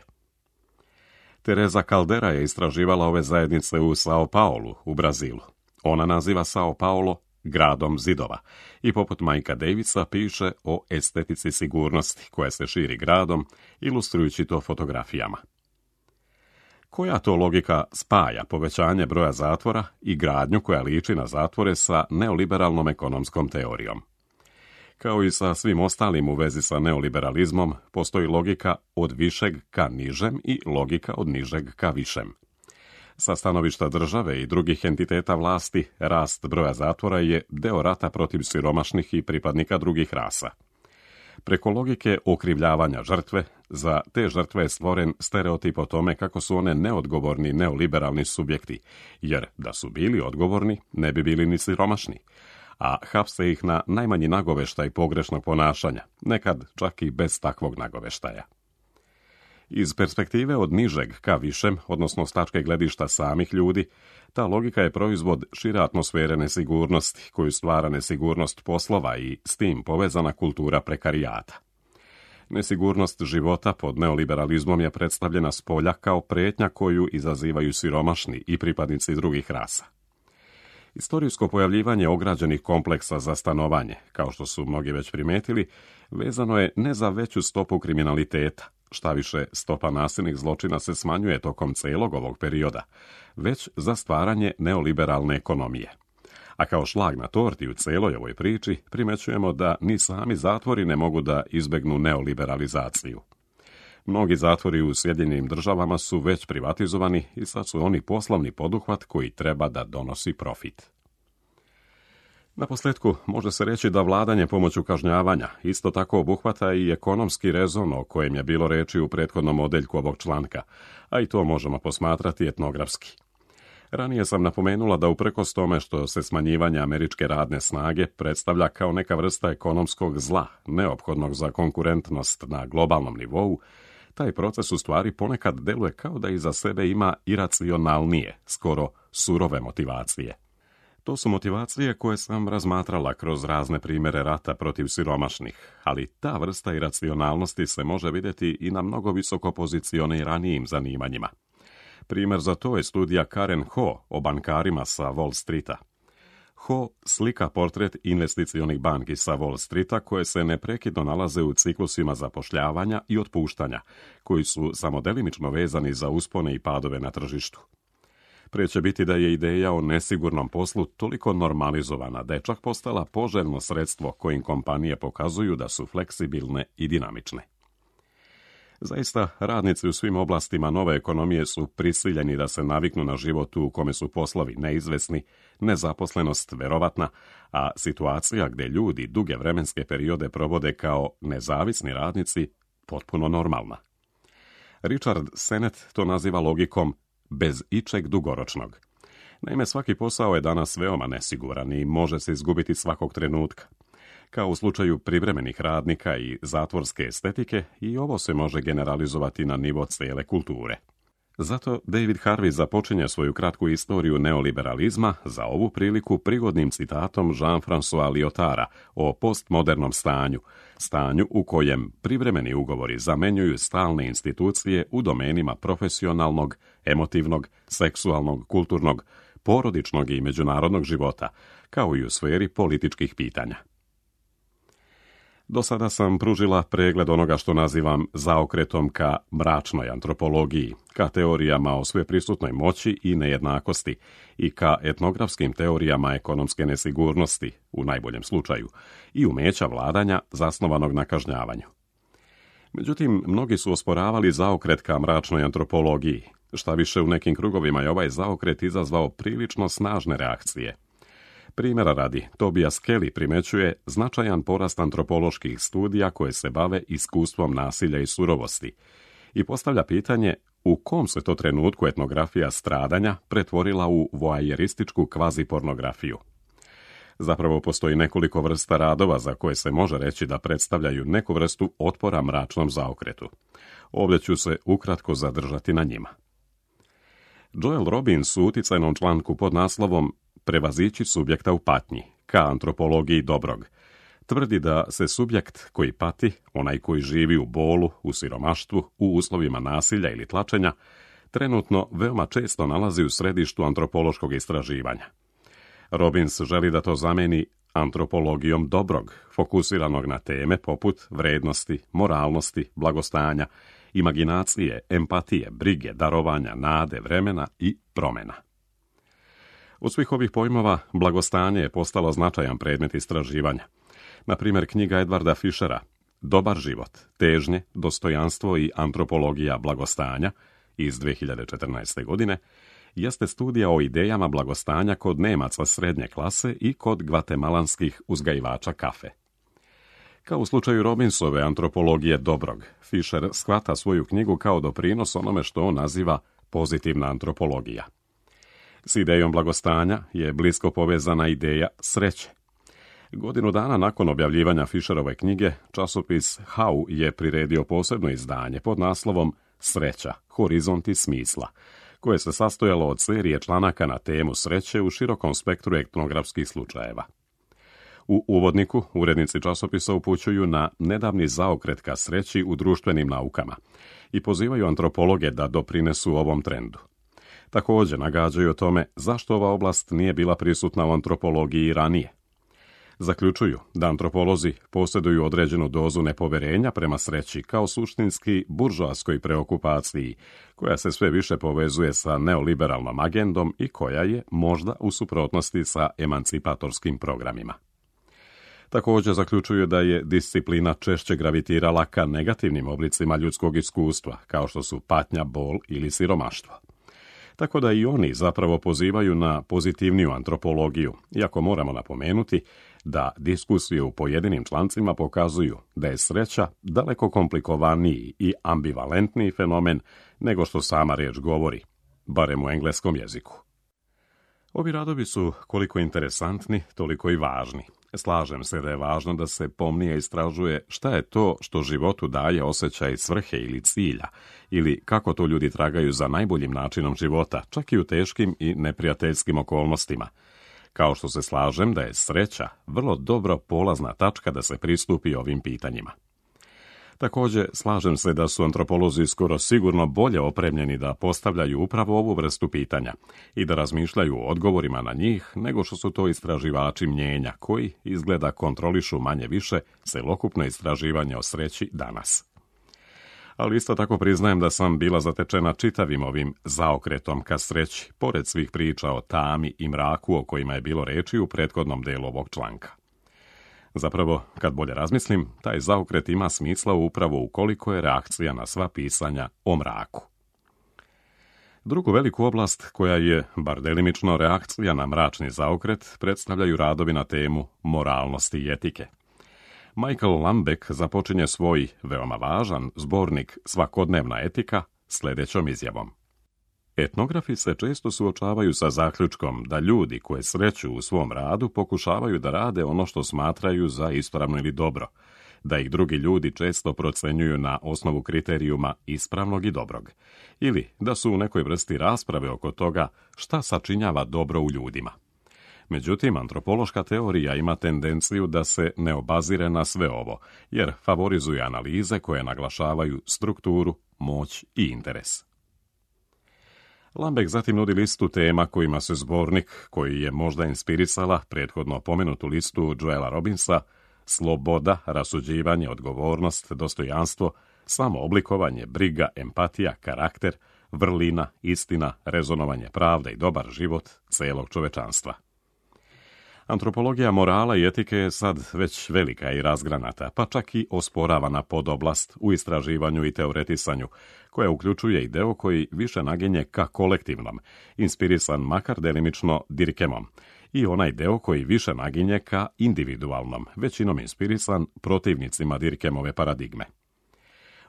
S1: Teresa Caldera je istraživala ove zajednice u Sao Paulu, u Brazilu. Ona naziva Sao Paulo gradom zidova i poput Mikea Davisa piše o estetici sigurnosti koja se širi gradom, ilustrujući to fotografijama. Koja to logika spaja povećanje broja zatvora i gradnju koja liči na zatvore sa neoliberalnom ekonomskom teorijom? Kao i sa svim ostalim u vezi sa neoliberalizmom, postoji logika od višeg ka nižem i logika od nižeg ka višem. Sa stanovišta države i drugih entiteta vlasti, rast broja zatvora je deo rata protiv siromašnih i pripadnika drugih rasa. Preko logike okrivljavanja žrtve, za te žrtve je stvoren stereotip o tome kako su one neodgovorni neoliberalni subjekti, jer da su bili odgovorni, ne bi bili ni siromašni, a hapse ih na najmanji nagoveštaj pogrešnog ponašanja, nekad čak i bez takvog nagoveštaja. Iz perspektive od nižeg ka višem, odnosno s tačke gledišta samih ljudi, ta logika je proizvod šire atmosfere nesigurnosti, koju stvara nesigurnost poslova i s tim povezana kultura prekarijata. Nesigurnost života pod neoliberalizmom je predstavljena s polja kao prijetnja koju izazivaju siromašni i pripadnici drugih rasa. Istorijsko pojavljivanje ograđenih kompleksa za stanovanje, kao što su mnogi već primetili, vezano je ne za veću stopu kriminaliteta, šta više stopa nasilnih zločina se smanjuje tokom celog ovog perioda, već za stvaranje neoliberalne ekonomije. A kao šlag na torti u celoj ovoj priči primećujemo da ni sami zatvori ne mogu da izbegnu neoliberalizaciju. Mnogi zatvori u Sjedinjenim državama su već privatizovani i sad su oni poslovni poduhvat koji treba da donosi profit. Naposljetku, može se reći da vladanje pomoću kažnjavanja isto tako obuhvata i ekonomski rezon o kojem je bilo reči u prethodnom odeljku ovog članka, a i to možemo posmatrati etnografski. Ranije sam napomenula da uprkos tome što se smanjivanje američke radne snage predstavlja kao neka vrsta ekonomskog zla, neophodnog za konkurentnost na globalnom nivou, taj proces u stvari ponekad deluje kao da iza sebe ima iracionalnije, skoro surove motivacije. To su motivacije koje sam razmatrala kroz razne primjere rata protiv siromašnih, ali ta vrsta iracionalnosti se može vidjeti i na mnogo visoko pozicioniranijim zanimanjima. Primjer za to je studija Karen Ho o bankarima sa Wall Streeta. Ho slika portret investicionih banki sa Wall Streeta koje se neprekidno nalaze u ciklusima zapošljavanja i otpuštanja, koji su samo delimično vezani za uspone i padove na tržištu. Prije će biti da je ideja o nesigurnom poslu toliko normalizovana da je čak postala poželjno sredstvo kojim kompanije pokazuju da su fleksibilne i dinamične. Zaista, radnici u svim oblastima nove ekonomije su prisiljeni da se naviknu na život u kome su poslovi neizvesni, nezaposlenost verovatna, a situacija gdje ljudi duge vremenske periode provode kao nezavisni radnici potpuno normalna. Richard Sennett to naziva logikom bez ičeg dugoročnog. Naime, svaki posao je danas veoma nesiguran i može se izgubiti svakog trenutka. Kao u slučaju privremenih radnika i zatvorske estetike, i ovo se može generalizovati na nivo cijele kulture. Zato David Harvey započinje svoju kratku istoriju neoliberalizma za ovu priliku prigodnim citatom Jean-François Lyotara o postmodernom stanju, stanju u kojem privremeni ugovori zamenjuju stalne institucije u domenima profesionalnog, emotivnog, seksualnog, kulturnog, porodičnog i međunarodnog života, kao i u sferi političkih pitanja. Do sada sam pružila pregled onoga što nazivam zaokretom ka mračnoj antropologiji, ka teorijama o sveprisutnoj moći i nejednakosti i ka etnografskim teorijama ekonomske nesigurnosti, u najboljem slučaju, i umeća vladanja zasnovanog na kažnjavanju. Međutim, mnogi su osporavali zaokret ka mračnoj antropologiji, šta više u nekim krugovima je ovaj zaokret izazvao prilično snažne reakcije. Primjera radi, Tobias Kelly primećuje značajan porast antropoloških studija koje se bave iskustvom nasilja i surovosti i postavlja pitanje u kom se to trenutku etnografija stradanja pretvorila u voajerističku kvazipornografiju. Zapravo postoji nekoliko vrsta radova za koje se može reći da predstavljaju neku vrstu otpora mračnom zaokretu. Ovdje ću se ukratko zadržati na njima. Joel Robbins u uticajnom članku pod naslovom Prevazići subjekta u patnji, ka antropologiji dobrog, tvrdi da se subjekt koji pati, onaj koji živi u bolu, u siromaštvu, u uslovima nasilja ili tlačenja, trenutno veoma često nalazi u središtu antropološkog istraživanja. Robbins želi da to zameni antropologijom dobrog, fokusiranog na teme poput vrednosti, moralnosti, blagostanja, imaginacije, empatije, brige, darovanja, nade, vremena i promjena. Od svih ovih pojmova, blagostanje je postalo značajan predmet istraživanja. Na primjer, knjiga Edwarda Fischera Dobar život, težnje, dostojanstvo i antropologija blagostanja iz dvije hiljade četrnaeste. godine jeste studija o idejama blagostanja kod Nemaca srednje klase i kod gvatemalanskih uzgajivača kafe. Kao u slučaju Robbinsove antropologije dobrog, Fischer shvata svoju knjigu kao doprinos onome što on naziva pozitivna antropologija. S idejom blagostanja je blisko povezana ideja sreće. Godinu dana nakon objavljivanja Fischerove knjige, časopis How je priredio posebno izdanje pod naslovom Sreća, horizonti smisla, koje se sastojalo od serije članaka na temu sreće u širokom spektru etnografskih slučajeva. U uvodniku urednici časopisa upućuju na nedavni zaokret ka sreći u društvenim naukama i pozivaju antropologe da doprinesu ovom trendu. Također nagađaju o tome zašto ova oblast nije bila prisutna u antropologiji ranije. Zaključuju da antropolozi posjeduju određenu dozu nepoverenja prema sreći kao suštinski buržoaskoj preokupaciji, koja se sve više povezuje sa neoliberalnom agendom i koja je možda u suprotnosti sa emancipatorskim programima. Također zaključuju da je disciplina češće gravitirala ka negativnim oblicima ljudskog iskustva, kao što su patnja, bol ili siromaštvo. Tako da i oni zapravo pozivaju na pozitivniju antropologiju, iako moramo napomenuti da diskusije u pojedinim člancima pokazuju da je sreća daleko komplikovaniji i ambivalentniji fenomen nego što sama riječ govori, barem u engleskom jeziku. Ovi radovi su koliko interesantni, toliko i važni. Slažem se da je važno da se pomnije istražuje šta je to što životu daje osjećaj svrhe ili cilja, ili kako to ljudi tragaju za najboljim načinom života, čak i u teškim i neprijateljskim okolnostima. Kao što se slažem da je sreća vrlo dobro polazna tačka da se pristupi ovim pitanjima. Također, slažem se da su antropolozi skoro sigurno bolje opremljeni da postavljaju upravo ovu vrstu pitanja i da razmišljaju o odgovorima na njih nego što su to istraživači mnjenja koji, izgleda, kontrolišu manje više celokupno istraživanje o sreći danas. Ali isto tako priznajem da sam bila zatečena čitavim ovim zaokretom ka sreći, pored svih priča o tami i mraku o kojima je bilo reči u prethodnom delu ovog članka. Zapravo, kad bolje razmislim, taj zaokret ima smisla upravo ukoliko je reakcija na sva pisanja o mraku. Drugu veliku oblast koja je, bar delimično, reakcija na mračni zaokret predstavljaju radovi na temu moralnosti i etike. Michael Lambeck započinje svoj, veoma važan, zbornik Svakodnevna etika sljedećom izjavom. Etnografi se često suočavaju sa zaključkom da ljudi koje sreću u svom radu pokušavaju da rade ono što smatraju za ispravno ili dobro, da ih drugi ljudi često procenjuju na osnovu kriterijuma ispravnog i dobrog, ili da su u nekoj vrsti rasprave oko toga šta sačinjava dobro u ljudima. Međutim, antropološka teorija ima tendenciju da se ne obazire na sve ovo, jer favorizuje analize koje naglašavaju strukturu, moć i interes. Lambeck zatim nudi listu tema kojima se zbornik, koji je možda inspirisala prethodno pomenutu listu Joela Robbinsa, sloboda, rasuđivanje, odgovornost, dostojanstvo, samooblikovanje, briga, empatija, karakter, vrlina, istina, rezonovanje pravde i dobar život celog čovečanstva. Antropologija morala i etike je sad već velika i razgranata, pa čak i osporavana podoblast u istraživanju i teoretisanju, koja uključuje i deo koji više naginje ka kolektivnom, inspirisan makar delimično Dirkemom, i onaj deo koji više naginje ka individualnom, većinom inspirisan protivnicima Dirkemove paradigme.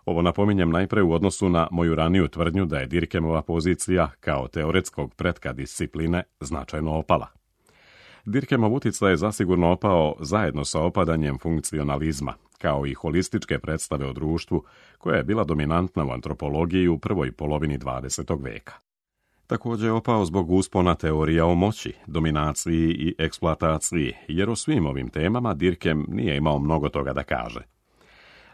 S1: Ovo napominjem najpre u odnosu na moju raniju tvrdnju da je Dirkemova pozicija kao teoretskog pretka discipline značajno opala. Dirkemov uticaj je zasigurno opao zajedno sa opadanjem funkcionalizma, kao i holističke predstave o društvu, koja je bila dominantna u antropologiji u prvoj polovini dvadesetog veka. Također je opao zbog uspona teorija o moći, dominaciji i eksploataciji, jer o svim ovim temama Dirkem nije imao mnogo toga da kaže.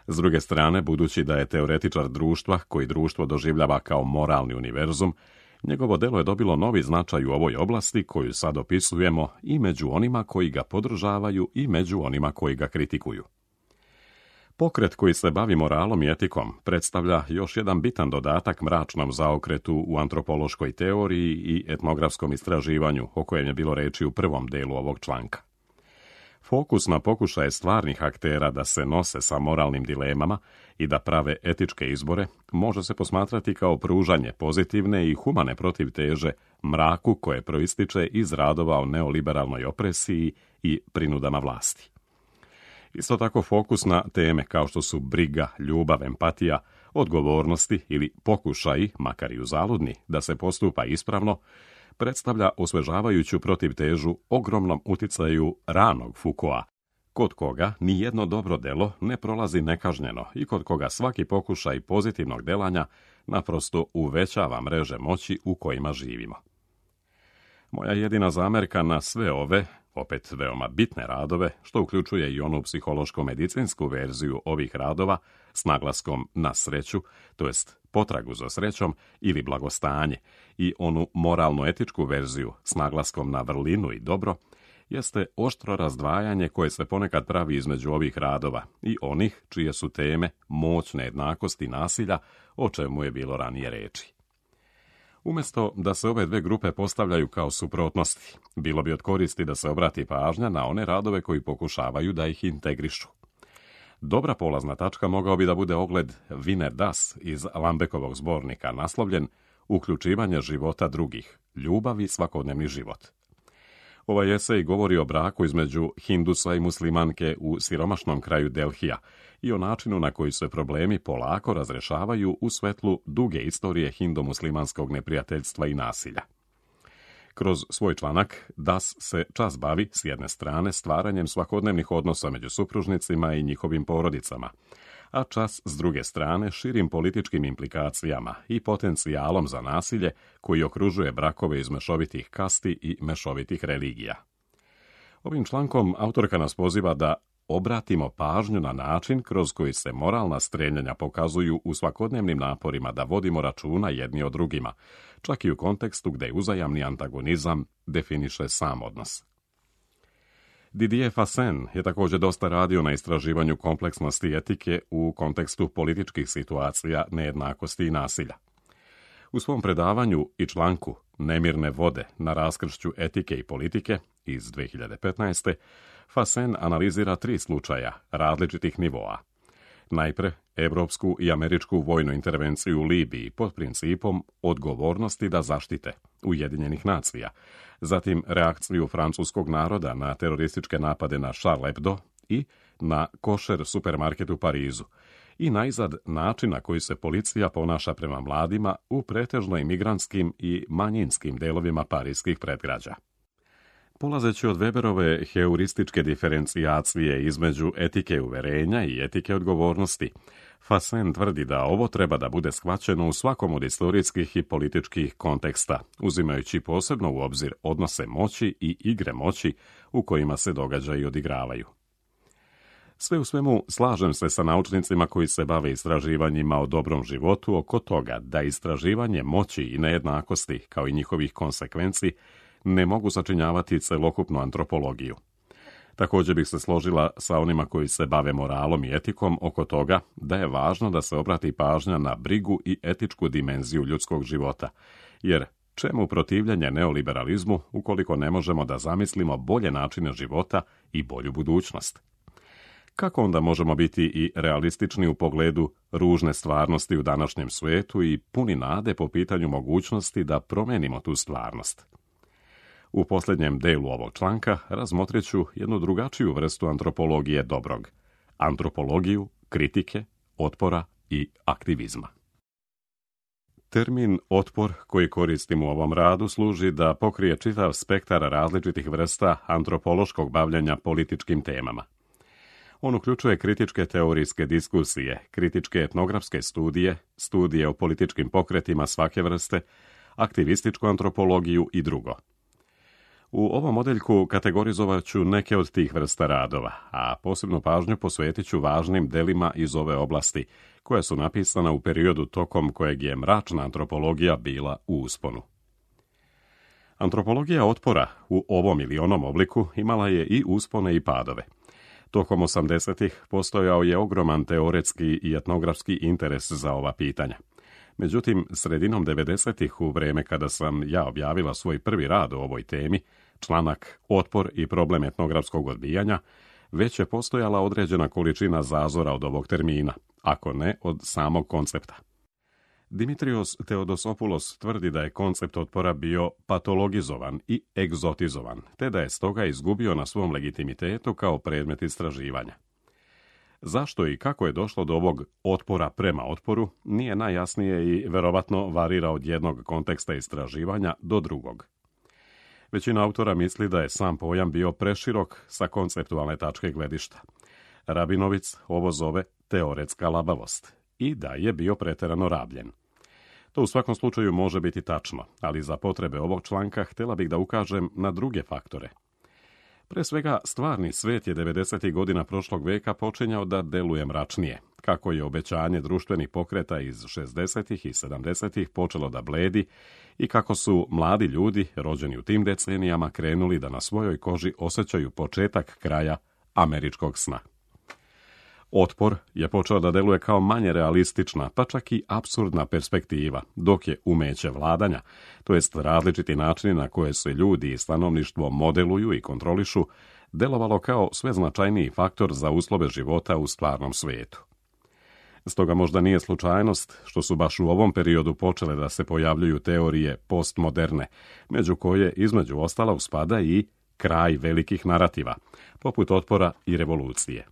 S1: S druge strane, budući da je teoretičar društva, koji društvo doživljava kao moralni univerzum, njegovo delo je dobilo novi značaj u ovoj oblasti koju sad opisujemo i među onima koji ga podržavaju i među onima koji ga kritikuju. Pokret koji se bavi moralom i etikom predstavlja još jedan bitan dodatak mračnom zaokretu u antropološkoj teoriji i etnografskom istraživanju o kojem je bilo reči u prvom delu ovog članka. Fokus na pokušaje stvarnih aktera da se nose sa moralnim dilemama i da prave etičke izbore može se posmatrati kao pružanje pozitivne i humane protivteže mraku koje proističe iz radova o neoliberalnoj opresiji i prinudama vlasti. Isto tako fokus na teme kao što su briga, ljubav, empatija, odgovornosti ili pokušaji, makar i uzaludni, da se postupa ispravno, predstavlja osvežavajuću protivtežu ogromnom uticaju ranog Foucaulta, kod koga ni jedno dobro delo ne prolazi nekažnjeno i kod koga svaki pokušaj pozitivnog delanja naprosto uvećava mreže moći u kojima živimo. Moja jedina zamerka na sve ove, opet veoma bitne radove, što uključuje i onu psihološko-medicinsku verziju ovih radova s naglaskom na sreću, to jest potragu za srećom ili blagostanje, i onu moralno-etičku verziju s naglaskom na vrlinu i dobro, jeste oštro razdvajanje koje se ponekad pravi između ovih radova i onih čije su teme moć, nejednakost i nasilja, o čemu je bilo ranije reči. Umjesto da se ove dve grupe postavljaju kao suprotnosti, bilo bi od koristi da se obrati pažnja na one radove koji pokušavaju da ih integrišu. Dobra polazna tačka mogao bi da bude ogled Wiener Das iz Lambeckovog zbornika naslovljen Uključivanje života drugih, ljubav i svakodnevni život. Ovaj esej govori o braku između Hindusa i muslimanke u siromašnom kraju Delhija i o načinu na koji se problemi polako razrešavaju u svetlu duge istorije hindu-muslimanskog neprijateljstva i nasilja. Kroz svoj članak Das se čas bavi s jedne strane stvaranjem svakodnevnih odnosa među supružnicima i njihovim porodicama, a čas s druge strane širim političkim implikacijama i potencijalom za nasilje koji okružuje brakove iz mešovitih kasti i mešovitih religija. Ovim člankom autorka nas poziva da obratimo pažnju na način kroz koji se moralna stremljenja pokazuju u svakodnevnim naporima da vodimo računa jedni o drugima, čak i u kontekstu gde uzajamni antagonizam definiše sam odnos. Didier Fassin je također dosta radio na istraživanju kompleksnosti etike u kontekstu političkih situacija, nejednakosti i nasilja. U svom predavanju i članku Nemirne vode na raskršću etike i politike iz dvije hiljade petnaeste. Fassen analizira tri slučaja različitih nivoa. Najpre, evropsku i američku vojnu intervenciju u Libiji pod principom odgovornosti da zaštite Ujedinjenih nacija, zatim reakciju francuskog naroda na terorističke napade na Charlie Hebdo i na košer supermarket u Parizu, i najzad način na koji se policija ponaša prema mladima u pretežno imigrantskim i manjinskim delovima parijskih predgrađa. Polazeći od Weberove heurističke diferencijacije između etike uverenja i etike odgovornosti, Fassen tvrdi da ovo treba da bude shvaćeno u svakom od istorijskih i političkih konteksta, uzimajući posebno u obzir odnose moći i igre moći u kojima se događaji odigravaju. Sve u svemu, slažem se sa naučnicima koji se bave istraživanjima o dobrom životu oko toga da istraživanje moći i nejednakosti, kao i njihovih konsekvenci, ne mogu sačinjavati celokupnu antropologiju. Također bih se složila sa onima koji se bave moralom i etikom oko toga da je važno da se obrati pažnja na brigu i etičku dimenziju ljudskog života, jer čemu protivljenje neoliberalizmu ukoliko ne možemo da zamislimo bolje načine života i bolju budućnost? Kako onda možemo biti i realistični u pogledu ružne stvarnosti u današnjem svijetu i puni nade po pitanju mogućnosti da promenimo tu stvarnost? U posljednjem delu ovog članka razmotrit ću jednu drugačiju vrstu antropologije dobrog. Antropologiju, kritike, otpora i aktivizma. Termin otpor koji koristim u ovom radu služi da pokrije čitav spektar različitih vrsta antropološkog bavljenja političkim temama. On uključuje kritičke teorijske diskusije, kritičke etnografske studije, studije o političkim pokretima svake vrste, aktivističku antropologiju i drugo. U ovom modeljku kategorizovat ću neke od tih vrsta radova, a posebnu pažnju posvetit ću važnim delima iz ove oblasti, koja su napisana u periodu tokom kojeg je mračna antropologija bila u usponu. Antropologija otpora u ovom ili onom obliku imala je i uspone i padove. Tokom osamdesetih postojao je ogroman teoretski i etnografski interes za ova pitanja. Međutim, sredinom devedesetih, u vreme kada sam ja objavila svoj prvi rad o ovoj temi, članak Otpor i problem etnografskog odbijanja, već je postojala određena količina zazora od ovog termina, ako ne od samog koncepta. Dimitrios Theodosopoulos tvrdi da je koncept otpora bio patologizovan i egzotizovan, te da je stoga izgubio na svom legitimitetu kao predmet istraživanja. Zašto i kako je došlo do ovog otpora prema otporu nije najjasnije i verovatno varira od jednog konteksta istraživanja do drugog. Većina autora misli da je sam pojam bio preširok sa konceptualne tačke gledišta. Rabinovic ovo zove teoretska labavost i da je bio preterano rabljen. To u svakom slučaju može biti tačno, ali za potrebe ovog članka htjela bih da ukažem na druge faktore. Pre svega, stvarni svet je devedesetih godina prošlog veka počinjao da deluje mračnije, kako je obećanje društvenih pokreta iz šezdesetih i sedamdesetih počelo da bledi i kako su mladi ljudi, rođeni u tim decenijama, krenuli da na svojoj koži osjećaju početak kraja američkog sna. Otpor je počeo da deluje kao manje realistična, pa čak i apsurdna perspektiva, dok je umeće vladanja, to jest različiti načini na koje se ljudi i stanovništvo modeluju i kontrolišu, delovalo kao sve značajniji faktor za uslove života u stvarnom svijetu. Stoga možda nije slučajnost što su baš u ovom periodu počele da se pojavljuju teorije postmoderne, među koje između ostala spada i kraj velikih narativa, poput otpora i revolucije.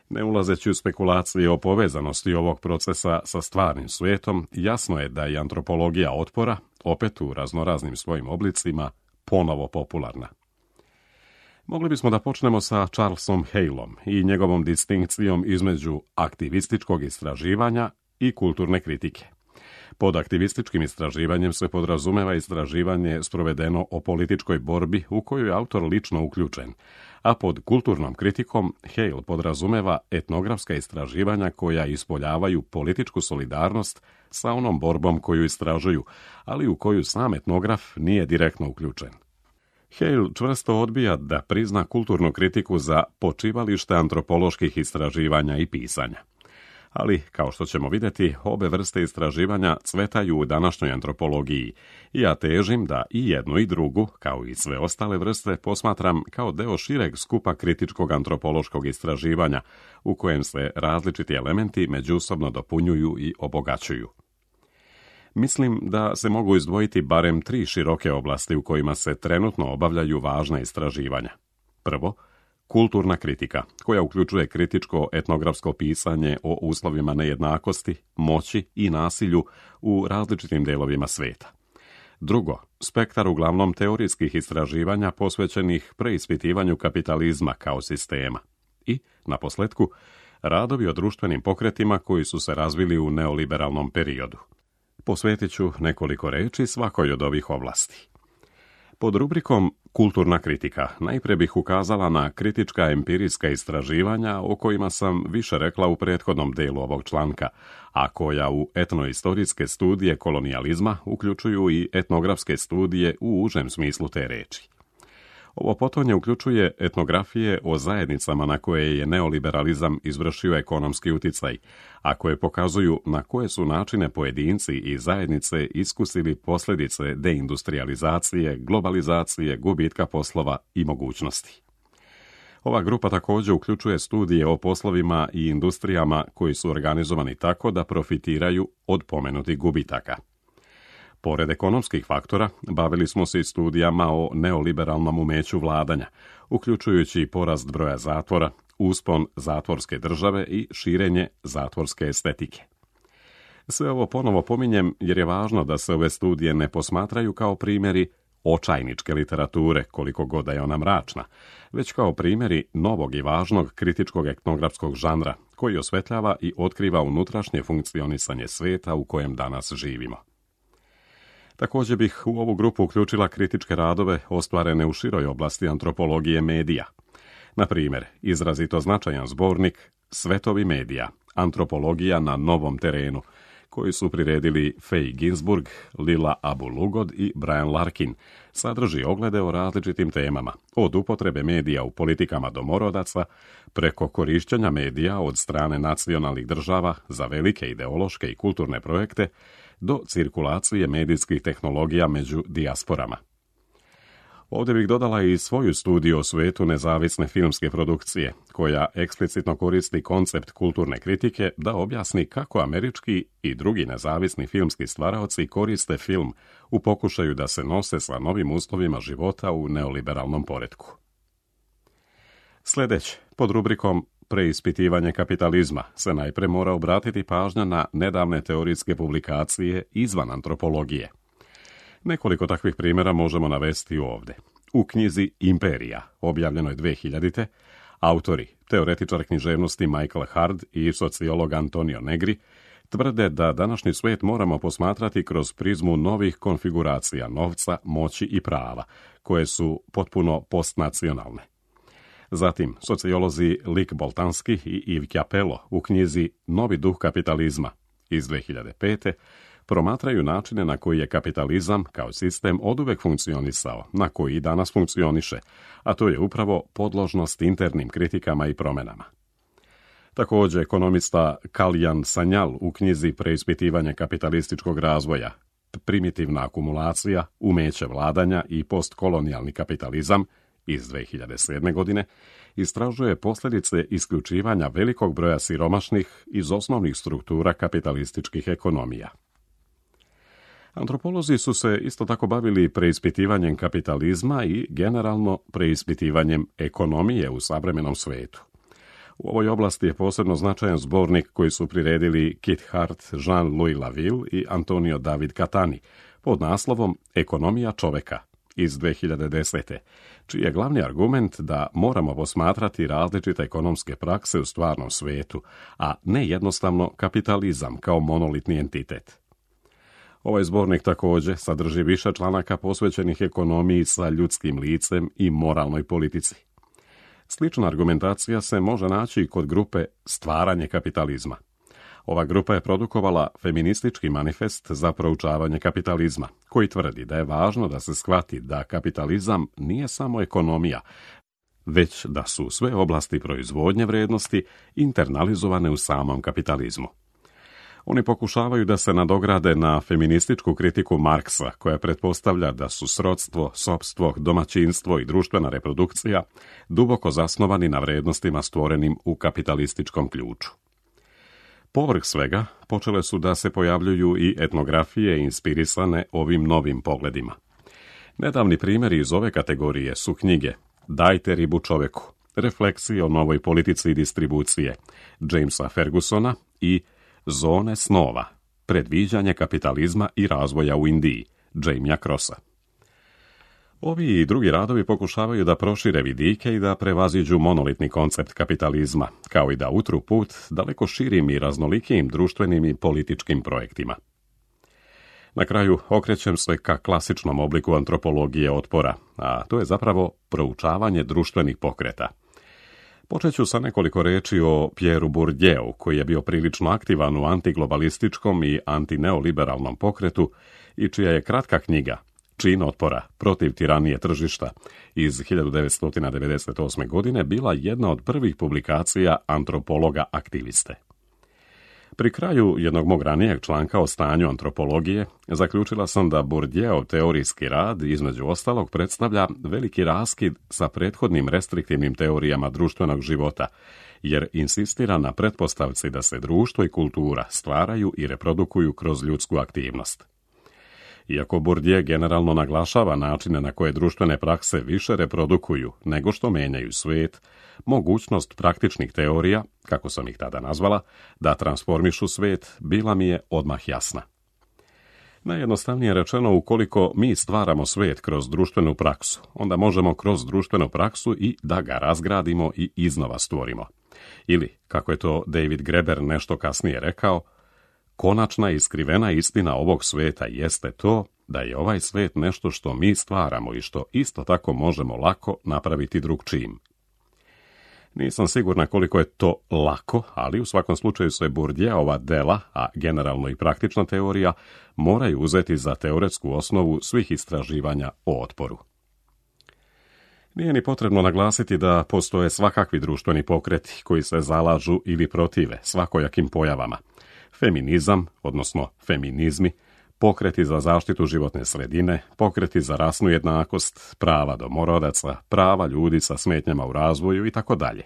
S1: Ne ulazeći u spekulacije o povezanosti ovog procesa sa stvarnim svijetom, jasno je da je antropologija otpora, opet u raznoraznim svojim oblicima, ponovo popularna. Mogli bismo da počnemo sa Charlesom Haleom i njegovom distinkcijom između aktivističkog istraživanja i kulturne kritike. Pod aktivističkim istraživanjem se podrazumeva istraživanje sprovedeno o političkoj borbi u koju je autor lično uključen, a pod kulturnom kritikom Hale podrazumeva etnografska istraživanja koja ispoljavaju političku solidarnost sa onom borbom koju istražuju, ali u koju sam etnograf nije direktno uključen. Hale čvrsto odbija da prizna kulturnu kritiku za počivalište antropoloških istraživanja i pisanja. Ali, kao što ćemo vidjeti, obe vrste istraživanja cvetaju u današnjoj antropologiji i ja težim da i jednu i drugu, kao i sve ostale vrste, posmatram kao deo šireg skupa kritičkog antropološkog istraživanja u kojem se različiti elementi međusobno dopunjuju i obogaćuju. Mislim da se mogu izdvojiti barem tri široke oblasti u kojima se trenutno obavljaju važna istraživanja. Prvo, kulturna kritika, koja uključuje kritičko etnografsko pisanje o uslovima nejednakosti, moći i nasilju u različitim delovima sveta. Drugo, spektar uglavnom teorijskih istraživanja posvećenih preispitivanju kapitalizma kao sistema. I, naposljetku, radovi o društvenim pokretima koji su se razvili u neoliberalnom periodu. Posvetit ću nekoliko reči svakoj od ovih oblasti. Pod rubrikom kulturna kritika najprije bih ukazala na kritička empirijska istraživanja o kojima sam više rekla u prethodnom delu ovog članka, a koja u etnoistorijske studije kolonijalizma uključuju i etnografske studije u užem smislu te reči. Ovo potonje uključuje etnografije o zajednicama na koje je neoliberalizam izvršio ekonomski uticaj, a koje pokazuju na koje su načine pojedinci i zajednice iskusili posljedice deindustrializacije, globalizacije, gubitka poslova i mogućnosti. Ova grupa također uključuje studije o poslovima i industrijama koji su organizovani tako da profitiraju od pomenutih gubitaka. Pored ekonomskih faktora, bavili smo se i studijama o neoliberalnom umeću vladanja, uključujući porast broja zatvora, uspon zatvorske države i širenje zatvorske estetike. Sve ovo ponovo pominjem jer je važno da se ove studije ne posmatraju kao primjeri očajničke literature, koliko god da je ona mračna, već kao primjeri novog i važnog kritičkog etnografskog žanra, koji osvetljava i otkriva unutrašnje funkcionisanje sveta u kojem danas živimo. Također bih u ovu grupu uključila kritičke radove ostvarene u široj oblasti antropologije medija. Na primjer, izrazito značajan zbornik Svetovi medija, antropologija na novom terenu, koji su priredili Faye Ginsburg, Lila Abu Lugod i Brian Larkin, sadrži oglede o različitim temama, od upotrebe medija u politikama domorodaca, preko korištenja medija od strane nacionalnih država za velike ideološke i kulturne projekte, do cirkulacije medijskih tehnologija među dijasporama. Ovdje bih dodala i svoju studiju o svetu nezavisne filmske produkcije, koja eksplicitno koristi koncept kulturne kritike da objasni kako američki i drugi nezavisni filmski stvaraoci koriste film u pokušaju da se nose sa novim uslovima života u neoliberalnom poretku. Sljedeće, pod rubrikom preispitivanje kapitalizma, se najprije mora obratiti pažnja na nedavne teorijske publikacije izvan antropologije. Nekoliko takvih primjera možemo navesti ovdje. U knjizi Imperija, objavljenoj dvije hiljadite, autori, teoretičar književnosti Michael Hard i sociolog Antonio Negri, tvrde da današnji svijet moramo posmatrati kroz prizmu novih konfiguracija novca, moći i prava, koje su potpuno postnacionalne. Zatim, sociolozi Lik Boltanski i Yves Capello u knjizi Novi duh kapitalizma iz dvije hiljade pete promatraju načine na koji je kapitalizam kao sistem oduvek funkcionisao, na koji i danas funkcioniše, a to je upravo podložnost internim kritikama i promjenama. Također, ekonomista Kalyan Sanyal u knjizi Preispitivanje kapitalističkog razvoja, primitivna akumulacija, umeće vladanja i postkolonijalni kapitalizam iz dvije hiljade sedme. godine, istražuje posljedice isključivanja velikog broja siromašnih iz osnovnih struktura kapitalističkih ekonomija. Antropolozi su se isto tako bavili preispitivanjem kapitalizma i generalno preispitivanjem ekonomije u savremenom svijetu. U ovoj oblasti je posebno značajan zbornik koji su priredili Kit Hart, Jean-Louis Laville i Antonio David Catani pod naslovom Ekonomija čoveka iz dvije hiljade desete, čiji je glavni argument da moramo posmatrati različite ekonomske prakse u stvarnom svijetu, a ne jednostavno kapitalizam kao monolitni entitet. Ovaj zbornik također sadrži više članaka posvećenih ekonomiji sa ljudskim licem i moralnoj politici. Slična argumentacija se može naći i kod grupe Stvaranje kapitalizma. Ova grupa je produkovala feministički manifest za proučavanje kapitalizma, koji tvrdi da je važno da se shvati da kapitalizam nije samo ekonomija, već da su sve oblasti proizvodnje vrijednosti internalizovane u samom kapitalizmu. Oni pokušavaju da se nadograde na feminističku kritiku Marksa, koja pretpostavlja da su srodstvo, sopstvo, domaćinstvo i društvena reprodukcija duboko zasnovani na vrijednostima stvorenim u kapitalističkom ključu. Povrh svega, počele su da se pojavljuju i etnografije inspirisane ovim novim pogledima. Nedavni primjeri iz ove kategorije su knjige Dajte ribu čoveku, refleksije o novoj politici i distribucije Jamesa Fergusona i Zone snova, predviđanje kapitalizma i razvoja u Indiji Jamesa Crossa. Ovi i drugi radovi pokušavaju da prošire vidike i da prevaziđu monolitni koncept kapitalizma, kao i da utru put daleko širim i raznolikijim društvenim i političkim projektima. Na kraju okrećem se ka klasičnom obliku antropologije otpora, a to je zapravo proučavanje društvenih pokreta. Počet ću sa nekoliko reči o Pierreu Bourdieu, koji je bio prilično aktivan u antiglobalističkom i antineoliberalnom pokretu i čija je kratka knjiga Čin otpora protiv tiranije tržišta iz hiljadu devetsto devedeset osme. godine bila jedna od prvih publikacija antropologa aktiviste. Pri kraju jednog mog ranijeg članka o stanju antropologije zaključila sam da Bourdieu teorijski rad između ostalog predstavlja veliki raskid sa prethodnim restriktivnim teorijama društvenog života, jer insistira na pretpostavci da se društvo i kultura stvaraju i reprodukuju kroz ljudsku aktivnost. Iako Bourdieu generalno naglašava načine na koje društvene prakse više reprodukuju nego što menjaju svijet, mogućnost praktičnih teorija, kako sam ih tada nazvala, da transformišu svijet, bila mi je odmah jasna. Najjednostavnije rečeno, ukoliko mi stvaramo svijet kroz društvenu praksu, onda možemo kroz društvenu praksu i da ga razgradimo i iznova stvorimo. Ili, kako je to David Graeber nešto kasnije rekao, konačna i skrivena istina ovog svijeta jeste to da je ovaj svijet nešto što mi stvaramo i što isto tako možemo lako napraviti drugčijim. Nisam sigurna koliko je to lako, ali u svakom slučaju se Bourdieuova dela, a generalno i praktična teorija, moraju uzeti za teoretsku osnovu svih istraživanja o otporu. Nije ni potrebno naglasiti da postoje svakakvi društveni pokreti koji se zalažu ili protive svakojakim pojavama. Feminizam, odnosno feminizmi, pokreti za zaštitu životne sredine, pokreti za rasnu jednakost, prava domorodaca, prava ljudi sa smetnjama u razvoju i tako dalje.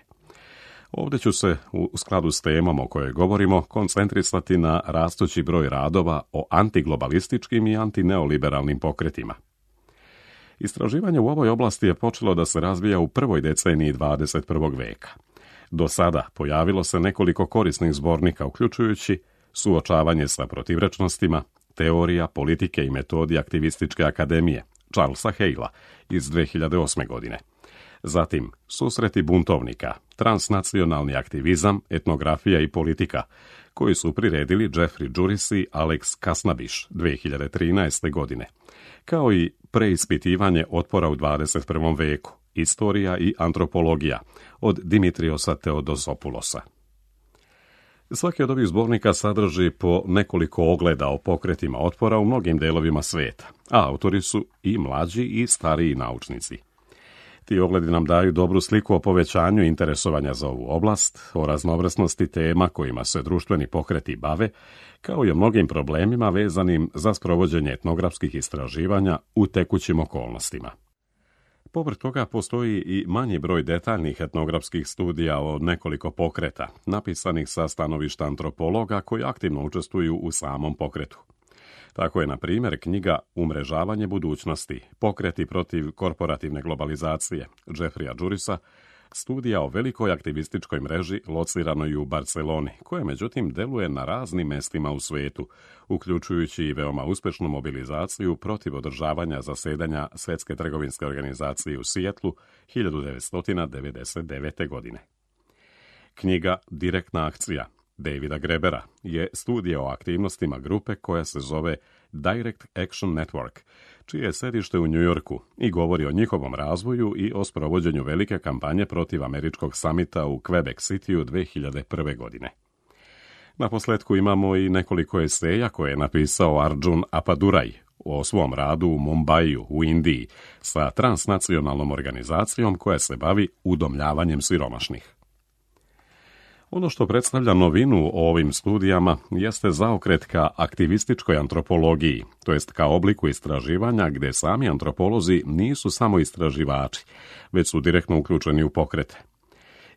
S1: Ovdje ću se, u skladu s temom o kojoj govorimo, koncentrisati na rastući broj radova o antiglobalističkim i antineoliberalnim pokretima. Istraživanje u ovoj oblasti je počelo da se razvija u prvoj deceniji dvadeset prvog veka. Do sada pojavilo se nekoliko korisnih zbornika, uključujući Suočavanje sa protivrečnostima, Teorija, politike i metodi aktivističke akademije Charlesa Halea iz dve hiljade osme. godine. Zatim Susreti buntovnika, transnacionalni aktivizam, etnografija i politika, koji su priredili Jeffrey Juris i Alex Kasnabiš dve hiljade trinaeste. godine, kao i Preispitivanje otpora u dvadeset prvom veku, Istorija i antropologija od Dimitriosa Teodosopulosa. Svaki od ovih zbornika sadrži po nekoliko ogleda o pokretima otpora u mnogim delovima svijeta, a autori su i mlađi i stariji naučnici. Ti ogledi nam daju dobru sliku o povećanju interesovanja za ovu oblast, o raznovrsnosti tema kojima se društveni pokreti bave, kao i o mnogim problemima vezanim za sprovođenje etnografskih istraživanja u tekućim okolnostima. Povrh toga postoji i manji broj detaljnih etnografskih studija o nekoliko pokreta, napisanih sa stanovišta antropologa koji aktivno učestvuju u samom pokretu. Tako je, na primjer, knjiga Umrežavanje budućnosti, pokreti protiv korporativne globalizacije Jeffreya Jurisa, studija o velikoj aktivističkoj mreži lociranoj u Barceloni, koja međutim deluje na raznim mestima u svijetu, uključujući i veoma uspješnu mobilizaciju protiv održavanja zasedanja Svjetske trgovinske organizacije u Sijetlu hiljadu devetsto devedeset devete. godine. Knjiga Direktna akcija Davida Graebera je studija o aktivnostima grupe koja se zove Direct Action Network, čije je sedište u New Yorku i govori o njihovom razvoju i o sprovođenju velike kampanje protiv američkog samita u Quebec Cityu dve hiljade prve. godine. Na posljetku imamo i nekoliko eseja koje je napisao Arjun Appadurai o svom radu u Mumbaiju u Indiji sa transnacionalnom organizacijom koja se bavi udomljavanjem siromašnih. Ono što predstavlja novinu o ovim studijama jeste zaokret ka aktivističkoj antropologiji, to jest ka obliku istraživanja gdje sami antropolozi nisu samo istraživači, već su direktno uključeni u pokrete.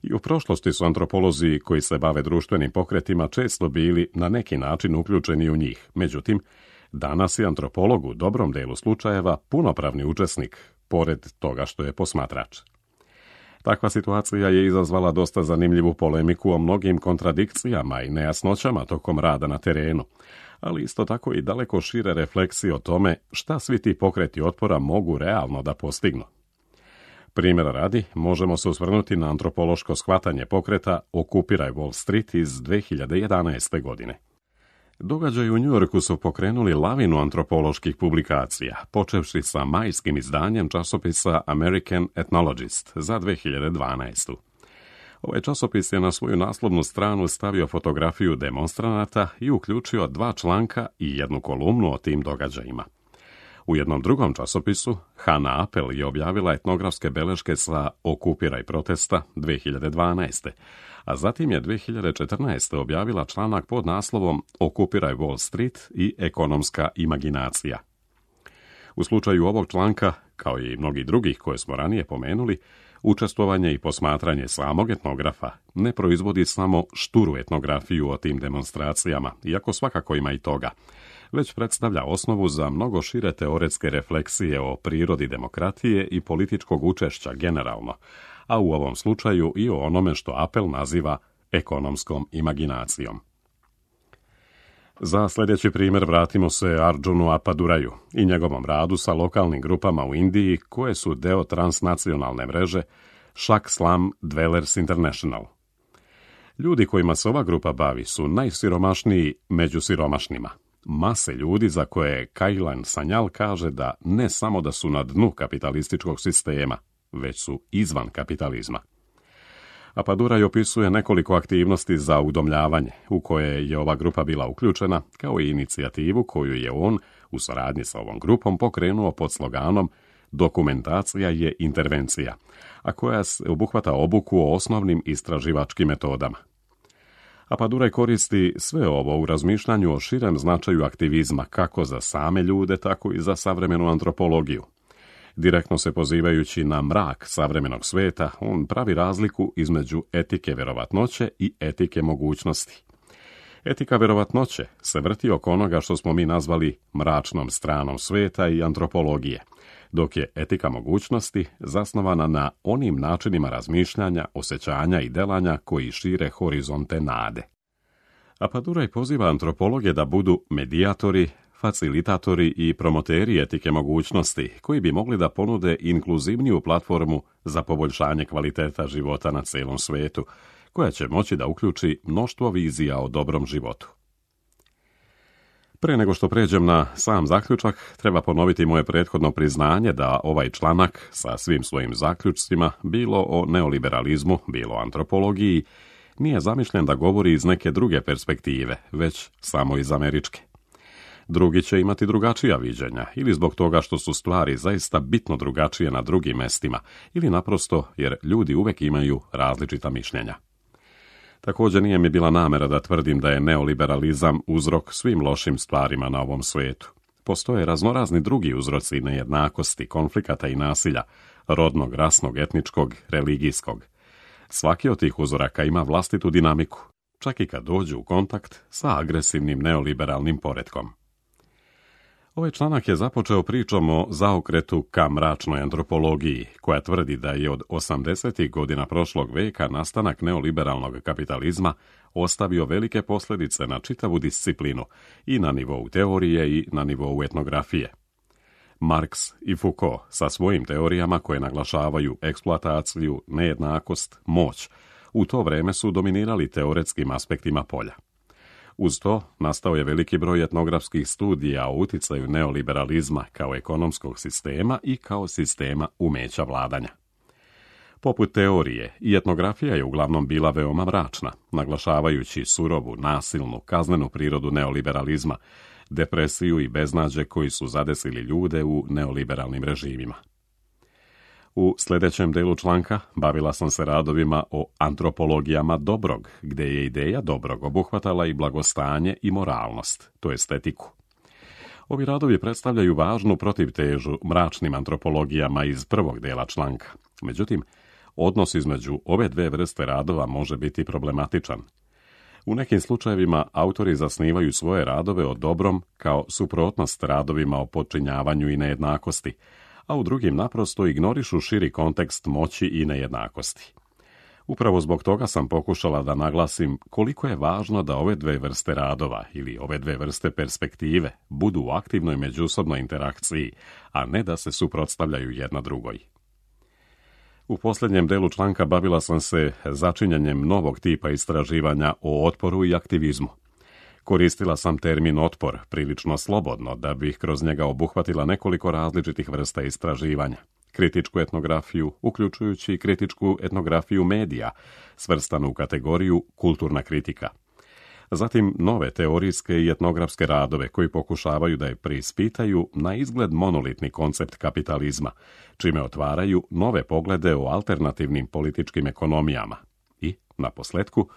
S1: I u prošlosti su antropolozi koji se bave društvenim pokretima često bili na neki način uključeni u njih. Međutim, danas je antropolog u dobrom delu slučajeva punopravni učesnik, pored toga što je posmatrač. Takva situacija je izazvala dosta zanimljivu polemiku o mnogim kontradikcijama i nejasnoćama tokom rada na terenu, ali isto tako i daleko šire refleksije o tome šta svi ti pokreti otpora mogu realno da postignu. Primjera radi, možemo se osvrnuti na antropološko shvatanje pokreta Okupiraj Wall Street iz dve hiljade jedanaeste. godine. Događaji u Njujorku su pokrenuli lavinu antropoloških publikacija, počevši sa majskim izdanjem časopisa American Ethnologist za dve hiljade dvanaestu. Ovaj časopis je na svoju naslovnu stranu stavio fotografiju demonstranata i uključio dva članka i jednu kolumnu o tim događajima. U jednom drugom časopisu Hannah Appel je objavila etnografske beleške sa Okupiraj protesta dve hiljade dvanaeste. A zatim je dve hiljade četrnaeste. objavila članak pod naslovom Okupiraj Wall Street i ekonomska imaginacija. U slučaju ovog članka, kao i mnogi drugih koje smo ranije pomenuli, učestvovanje i posmatranje samog etnografa ne proizvodi samo šturu etnografiju o tim demonstracijama, iako svakako ima i toga, već predstavlja osnovu za mnogo šire teoretske refleksije o prirodi demokratije i političkog učešća generalno, a u ovom slučaju i o onome što Appel naziva ekonomskom imaginacijom. Za sljedeći primjer vratimo se Arjunu Appaduraju i njegovom radu sa lokalnim grupama u Indiji koje su deo transnacionalne mreže Shak Slum Dwellers International. Ljudi kojima se ova grupa bavi su najsiromašniji među siromašnima. Mase ljudi za koje Kailan Sanyal kaže da ne samo da su na dnu kapitalističkog sistema, već su izvan kapitalizma. Appaduraj opisuje nekoliko aktivnosti za udomljavanje u koje je ova grupa bila uključena, kao i inicijativu koju je on u saradnji sa ovom grupom pokrenuo pod sloganom Dokumentacija je intervencija, a koja obuhvata obuku o osnovnim istraživačkim metodama. Appaduraj koristi sve ovo u razmišljanju o širem značaju aktivizma kako za same ljude, tako i za savremenu antropologiju. Direktno se pozivajući na mrak savremenog sveta, on pravi razliku između etike vjerovatnoće i etike mogućnosti. Etika vjerovatnoće se vrti oko onoga što smo mi nazvali mračnom stranom sveta i antropologije, dok je etika mogućnosti zasnovana na onim načinima razmišljanja, osjećanja i delanja koji šire horizonte nade. Appaduraj poziva antropologe da budu medijatori, facilitatori i promoteri etike mogućnosti, koji bi mogli da ponude inkluzivniju platformu za poboljšanje kvaliteta života na celom svetu, koja će moći da uključi mnoštvo vizija o dobrom životu. Pre nego što pređem na sam zaključak, treba ponoviti moje prethodno priznanje da ovaj članak sa svim svojim zaključcima, bilo o neoliberalizmu, bilo o antropologiji, nije zamišljen da govori iz neke druge perspektive, već samo iz američke. Drugi će imati drugačija viđenja, ili zbog toga što su stvari zaista bitno drugačije na drugim mestima, ili naprosto jer ljudi uvek imaju različita mišljenja. Također nije mi bila namera da tvrdim da je neoliberalizam uzrok svim lošim stvarima na ovom svijetu. Postoje raznorazni drugi uzroci nejednakosti, konflikata i nasilja, rodnog, rasnog, etničkog, religijskog. Svaki od tih uzoraka ima vlastitu dinamiku, čak i kad dođu u kontakt sa agresivnim neoliberalnim poretkom. Ovaj članak je započeo pričom o zaokretu ka mračnoj antropologiji, koja tvrdi da je od osamdesetih godina prošlog veka nastanak neoliberalnog kapitalizma ostavio velike posljedice na čitavu disciplinu, i na nivou teorije i na nivou etnografije. Marx i Foucault sa svojim teorijama koje naglašavaju eksploataciju, nejednakost, moć, u to vreme su dominirali teoretskim aspektima polja. Uz to, nastao je veliki broj etnografskih studija o uticaju neoliberalizma kao ekonomskog sistema i kao sistema umeća vladanja. Poput teorije, i etnografija je uglavnom bila veoma mračna, naglašavajući surovu, nasilnu, kaznenu prirodu neoliberalizma, depresiju i beznađe koji su zadesili ljude u neoliberalnim režimima. U sljedećem delu članka bavila sam se radovima o antropologijama dobrog, gdje je ideja dobrog obuhvatala i blagostanje i moralnost, to je estetiku. Ovi radovi predstavljaju važnu protivtežu mračnim antropologijama iz prvog dela članka. Međutim, odnos između ove dve vrste radova može biti problematičan. U nekim slučajevima autori zasnivaju svoje radove o dobrom kao suprotnost radovima o podčinjavanju i nejednakosti, a u drugim naprosto ignorišu širi kontekst moći i nejednakosti. Upravo zbog toga sam pokušala da naglasim koliko je važno da ove dve vrste radova ili ove dve vrste perspektive budu u aktivnoj međusobnoj interakciji, a ne da se suprotstavljaju jedna drugoj. U posljednjem delu članka bavila sam se začinjanjem novog tipa istraživanja o otporu i aktivizmu. Koristila sam termin otpor prilično slobodno da bih kroz njega obuhvatila nekoliko različitih vrsta istraživanja. Kritičku etnografiju, uključujući kritičku etnografiju medija, svrstanu u kategoriju kulturna kritika. Zatim nove teorijske i etnografske radove koji pokušavaju da je preispitaju na izgled monolitni koncept kapitalizma, čime otvaraju nove poglede o alternativnim političkim ekonomijama. I, na posljetku,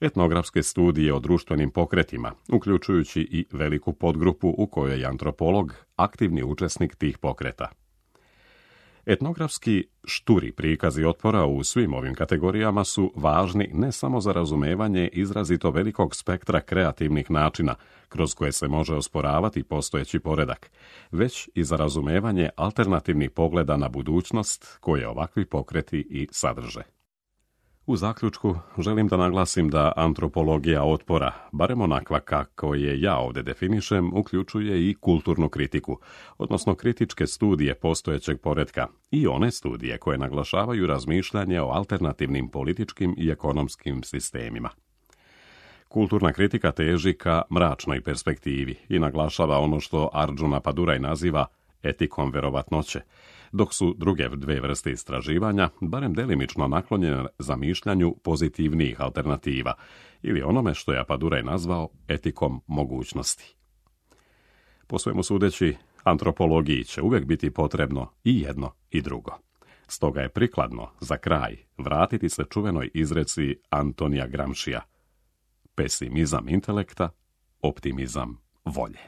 S1: etnografske studije o društvenim pokretima, uključujući i veliku podgrupu u kojoj je antropolog aktivni učesnik tih pokreta. Etnografski šturi prikazi otpora u svim ovim kategorijama su važni ne samo za razumevanje izrazito velikog spektra kreativnih načina kroz koje se može osporavati postojeći poredak, već i za razumevanje alternativnih pogleda na budućnost koje ovakvi pokreti i sadrže. U zaključku želim da naglasim da antropologija otpora, barem onakva kako je ja ovdje definišem, uključuje i kulturnu kritiku, odnosno kritičke studije postojećeg poretka i one studije koje naglašavaju razmišljanje o alternativnim političkim i ekonomskim sistemima. Kulturna kritika teži ka mračnoj perspektivi i naglašava ono što Arjuna Paduraj naziva etikom verovatnoće, dok su druge dve vrste istraživanja barem delimično naklonjene zamišljanju pozitivnijih alternativa ili onome što je Paduraj nazvao etikom mogućnosti. Po svemu sudeći, antropologiji će uvijek biti potrebno i jedno i drugo. Stoga je prikladno za kraj vratiti se čuvenoj izreci Antonija Gramscija: pesimizam intelekta, optimizam volje.